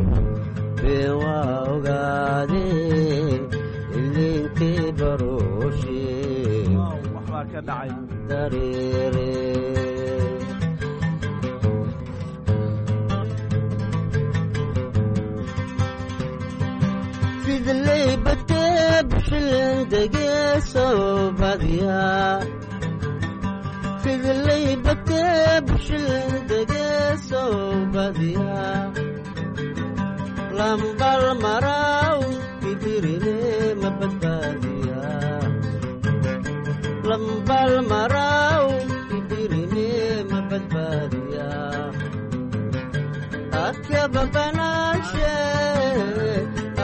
been waa ogaadeen ilinkii barooshe. Waxbaa ka dhacay. Dareere. Fidley batee bishilin degeeso badiya, fidley batee bishilin degeeso badiya, lambal maraw kidirine ma badbaadiya, lambal maraw kidirine ma badbaadiya, akaba banaashe,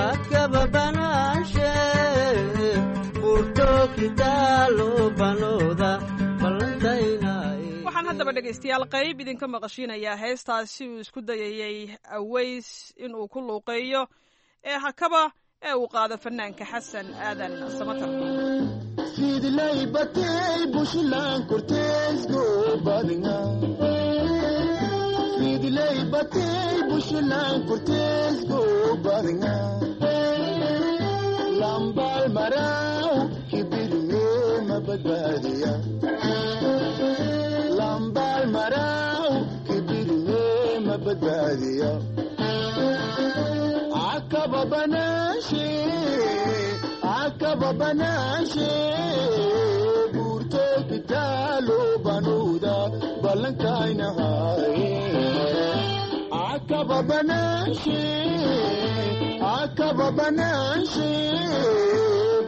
akaba banaashe, furto kitaalo banooda ballantaynay. Waxaan haddaba dhegaystayaal qayb idinka maqashiinayaa heestaasi uu isku dayayey Aweys inuu ku luuqeeyo ee Hakaba ee uu qaado fanaanka Xasan Aadan Samatar. Fidlay batay bushilan korteesgo badinga, fidlay batay bushilan korteesgo badinga, lambal maraw kibirme ma badbaadiya, lambal maraw kibirme ma badbaadiya, akaba banashe, akaba banashe, buurto kitaalo banuuda ballankaynahaye, akaba banashe, akaba banashe,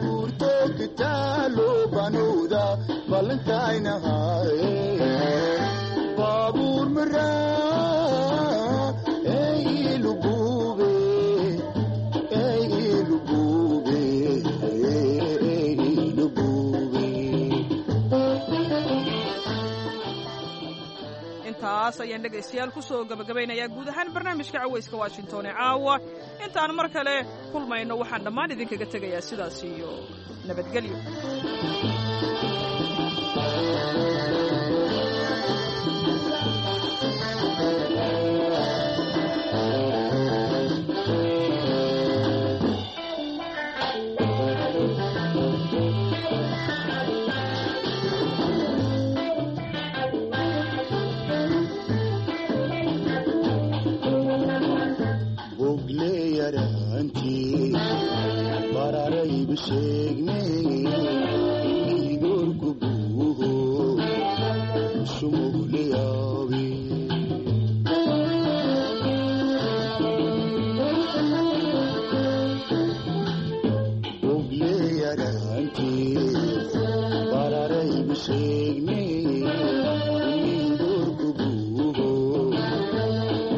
buurto kitaalo banuuda ballankaynahaye, baabuur maraa ee ilugube, ee ilugube, ee ilugube. Intaas ayaan dhegaystayaal ku soo gabagabaynayaa guud ahaan barnaamijka Cawayska Washington ee caawa. Intaan mar kale kulmayno, waxaan dhammaan idinkaga tegayaa sidaas iyo nabadgelyo. Bogleyaraantii bararaybu sheegnay idoorku buuho sumuguleyaabi. Bogleyaraantii bararaybu sheegnay idoorku buuho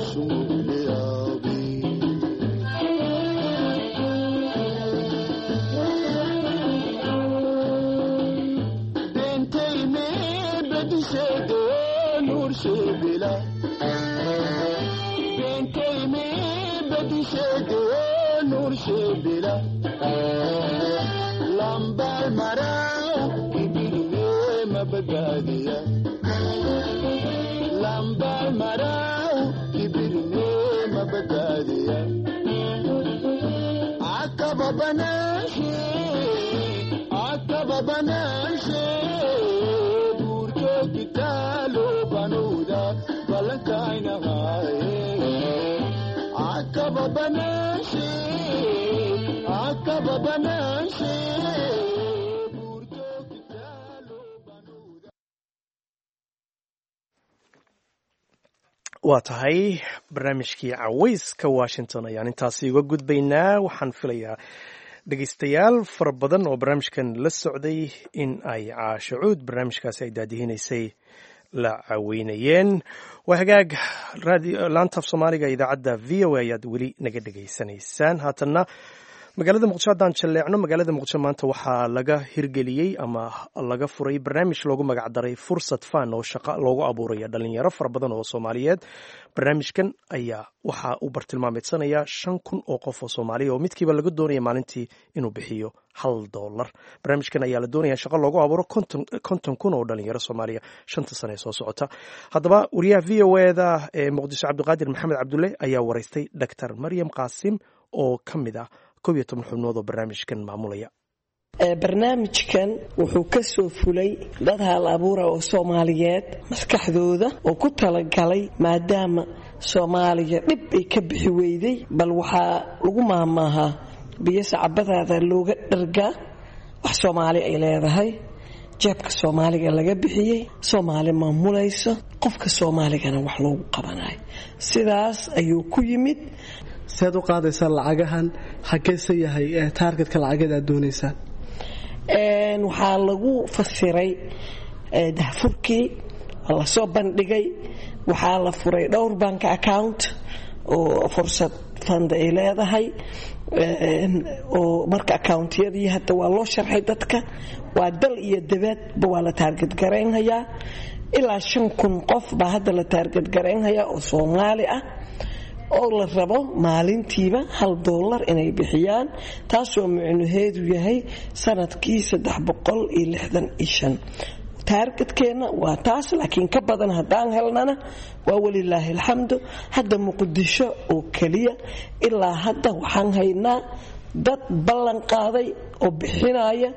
sumuguleyaabi. shebila beentay mi badisheede nuur shebila lambaal maraa kibirne ma badbaadiya lambaal maraa kibirne ma badbaadiya akaba banaashe akaba banaashe buurto kitaalo banuuda balankaynahaaye akaba banaashe akaba banaashe. Waa tahay, barnaamijkii cawayska Washington ayaan intaasi uga gudbaynaa. Waxaan filayaa dhegeystayaal fara badan oo barnaamijkan la socday in ay Caashacuud barnaamijkaasi ay daadihinaysay la caweynayeen. Waa hagaag, laanta af Soomaaliga idaacadda VOA ayaad weli naga dhegaysanaysaan. Haatanna magaalada Muqdisho haddaan jalleecno, magaalada Muqdisho maanta waxaa laga hirgeliyey ama laga furay barnaamij loogu magacdaray Fursad Fan oo shaqa loogu abuuraya dhalinyaro fara badan oo Soomaaliyeed. Barnaamijkan ayaa waxaa uu bartilmaameedsanaya 5000 oo qof oo Soomaaliya oo midkiiba laga doonaya maalintii inuu bixiyo $1. Barnaamijkan ayaa la doonaya shaqo loogu abuuro 50,000 oo dhalinyaro Soomaaliya 5-ta sane ee soo socota. Haddaba wariyaha VOA-da ee Muqdisho, Cabdiqaadir Maxamed Cabdulle, ayaa waraystay Doctor Maryam Qaasim oo ka mid ah 11 xubnood oo barnaamijkan maamulaya. Barnaamijkan wuxuu ka soo fulay dad hal abuura oo Soomaaliyeed maskaxdooda oo ku talagalay, maadaama Soomaaliya dhib ay ka bixi weyday. Bal waxaa lagu maahmaahaa, biyo sacabadaada looga dhargaa. Wax Soomaali ay leedahay, jeebka Soomaaliga laga bixiyey, Soomaali maamulayso, qofka Soomaaligana wax loogu qabanayo, sidaas ayuu ku yimid. Seed u qaadaysaa lacagahan? Xageese yahay taargetka lacageed aad doonaysaan? Waxaa lagu fasiray dahfurkii waa lasoo bandhigay. Waxaa la furay dhowr bank account oo Fursad Fund ay leedahay, oo marka accountiyadii hadda waa loo sharxay dadka. Waa dal iyo dabaadba waa la taarget garaynhayaa. Ilaa 5000 qof baa hadda la taarget garaynhayaa oo Soomaali ah, oo la rabo maalintiiba $1 inay bixiyaan, taasoo micnaheedu yahay sanadkii 365. Taargetkeenna waa taas, laakiin ka badan haddaan helnana waa walilaahi alxamdu. Hadda Muqdisho oo keliya ilaa hadda waxaan haynaa dad ballan qaaday oo bixinaya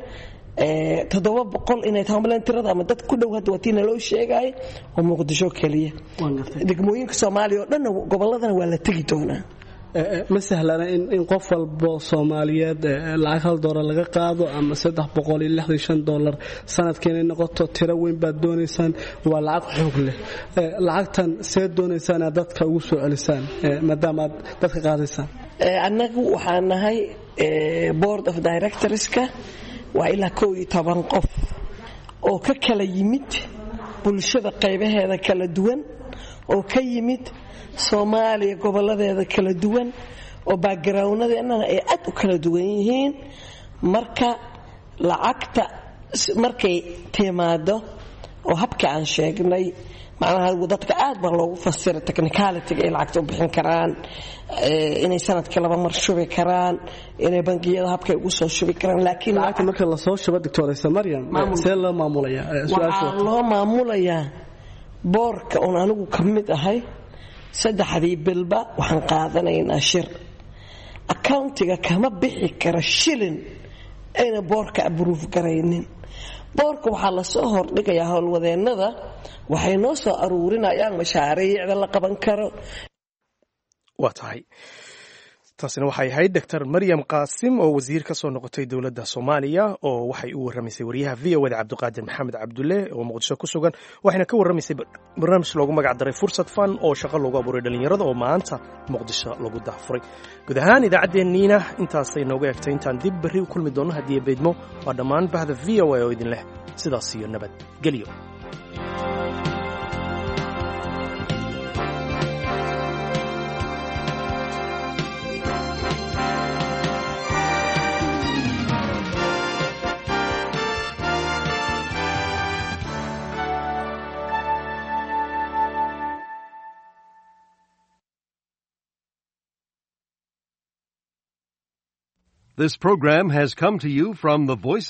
700 inay tahay tirada ama dad ku dhow. Hadda waa tii naloo sheegaya oo Muqdisho keliya. Degmooyinka Soomaaliya oo dhanna, gobolladana waa la tegi doonaa. Ma sahlana in qof walbo Soomaaliyeed lacag $1 laga qaado ama $365 sanadkii inay noqoto. Tiro weyn baad doonaysaan, waa lacag xoog leh. Lacagtan see doonaysaan inaad dadka ugu soo celisaan, maadaama aad dadka qaadaysaan? Annagu waxaan nahay board of directorska, waa ilaa 11 qof oo ka kala yimid bulshada qaybaheeda kala duwan, oo ka yimid Soomaaliya goboladeeda kala duwan, oo backgroundadeennana ay aad u kala duwan yihiin. Marka lacagta markay timaado oo habka aan sheegnay, macnaha dadka aad baa loogu fasira technicalityga ay lacagta u bixin karaan, inay sanadkii laba mar shubi karaan, inay bangiyada habkay ugu soo shubi karaan. Laakiin lacagta marka lasoo shubo, doctoraysa Maryam, see loo maamulayaa? Waxaa loo maamulayaa boardka oon anigu ka mid ahay. Saddexdii bilba waxaan qaadanaynaa shir. Accountiga kama bixi kara shilin ayna boardka approve garaynin. Boardka waxaa lasoo hordhigayaa howlwadeennada, waxay noo soo aruurinayaan mashaariicda la qaban karo. Waa tahay, taasina waxay ahayd Doctor Maryam Qaasim oo wasiir ka soo noqotay dowladda Soomaaliya, oo waxay u warramaysay wariyaha VOA-da Cabdiqaadir Maxamed Cabdulle oo Muqdisho ku sugan, waxayna ka warramaysay barnaamij loogu magac daray Fursad Fan oo shaqo loogu abuuray dhalinyarada oo maanta Muqdisho lagu dahfuray. Guud ahaan idaacaddeenniina intaasay nooga egtay. Intaan dib berri u kulmi doonno haddii beydmo, waa dhammaan bahda VOA oo idin leh sidaas iyo nabad gelyo. This program has come to you from the Voice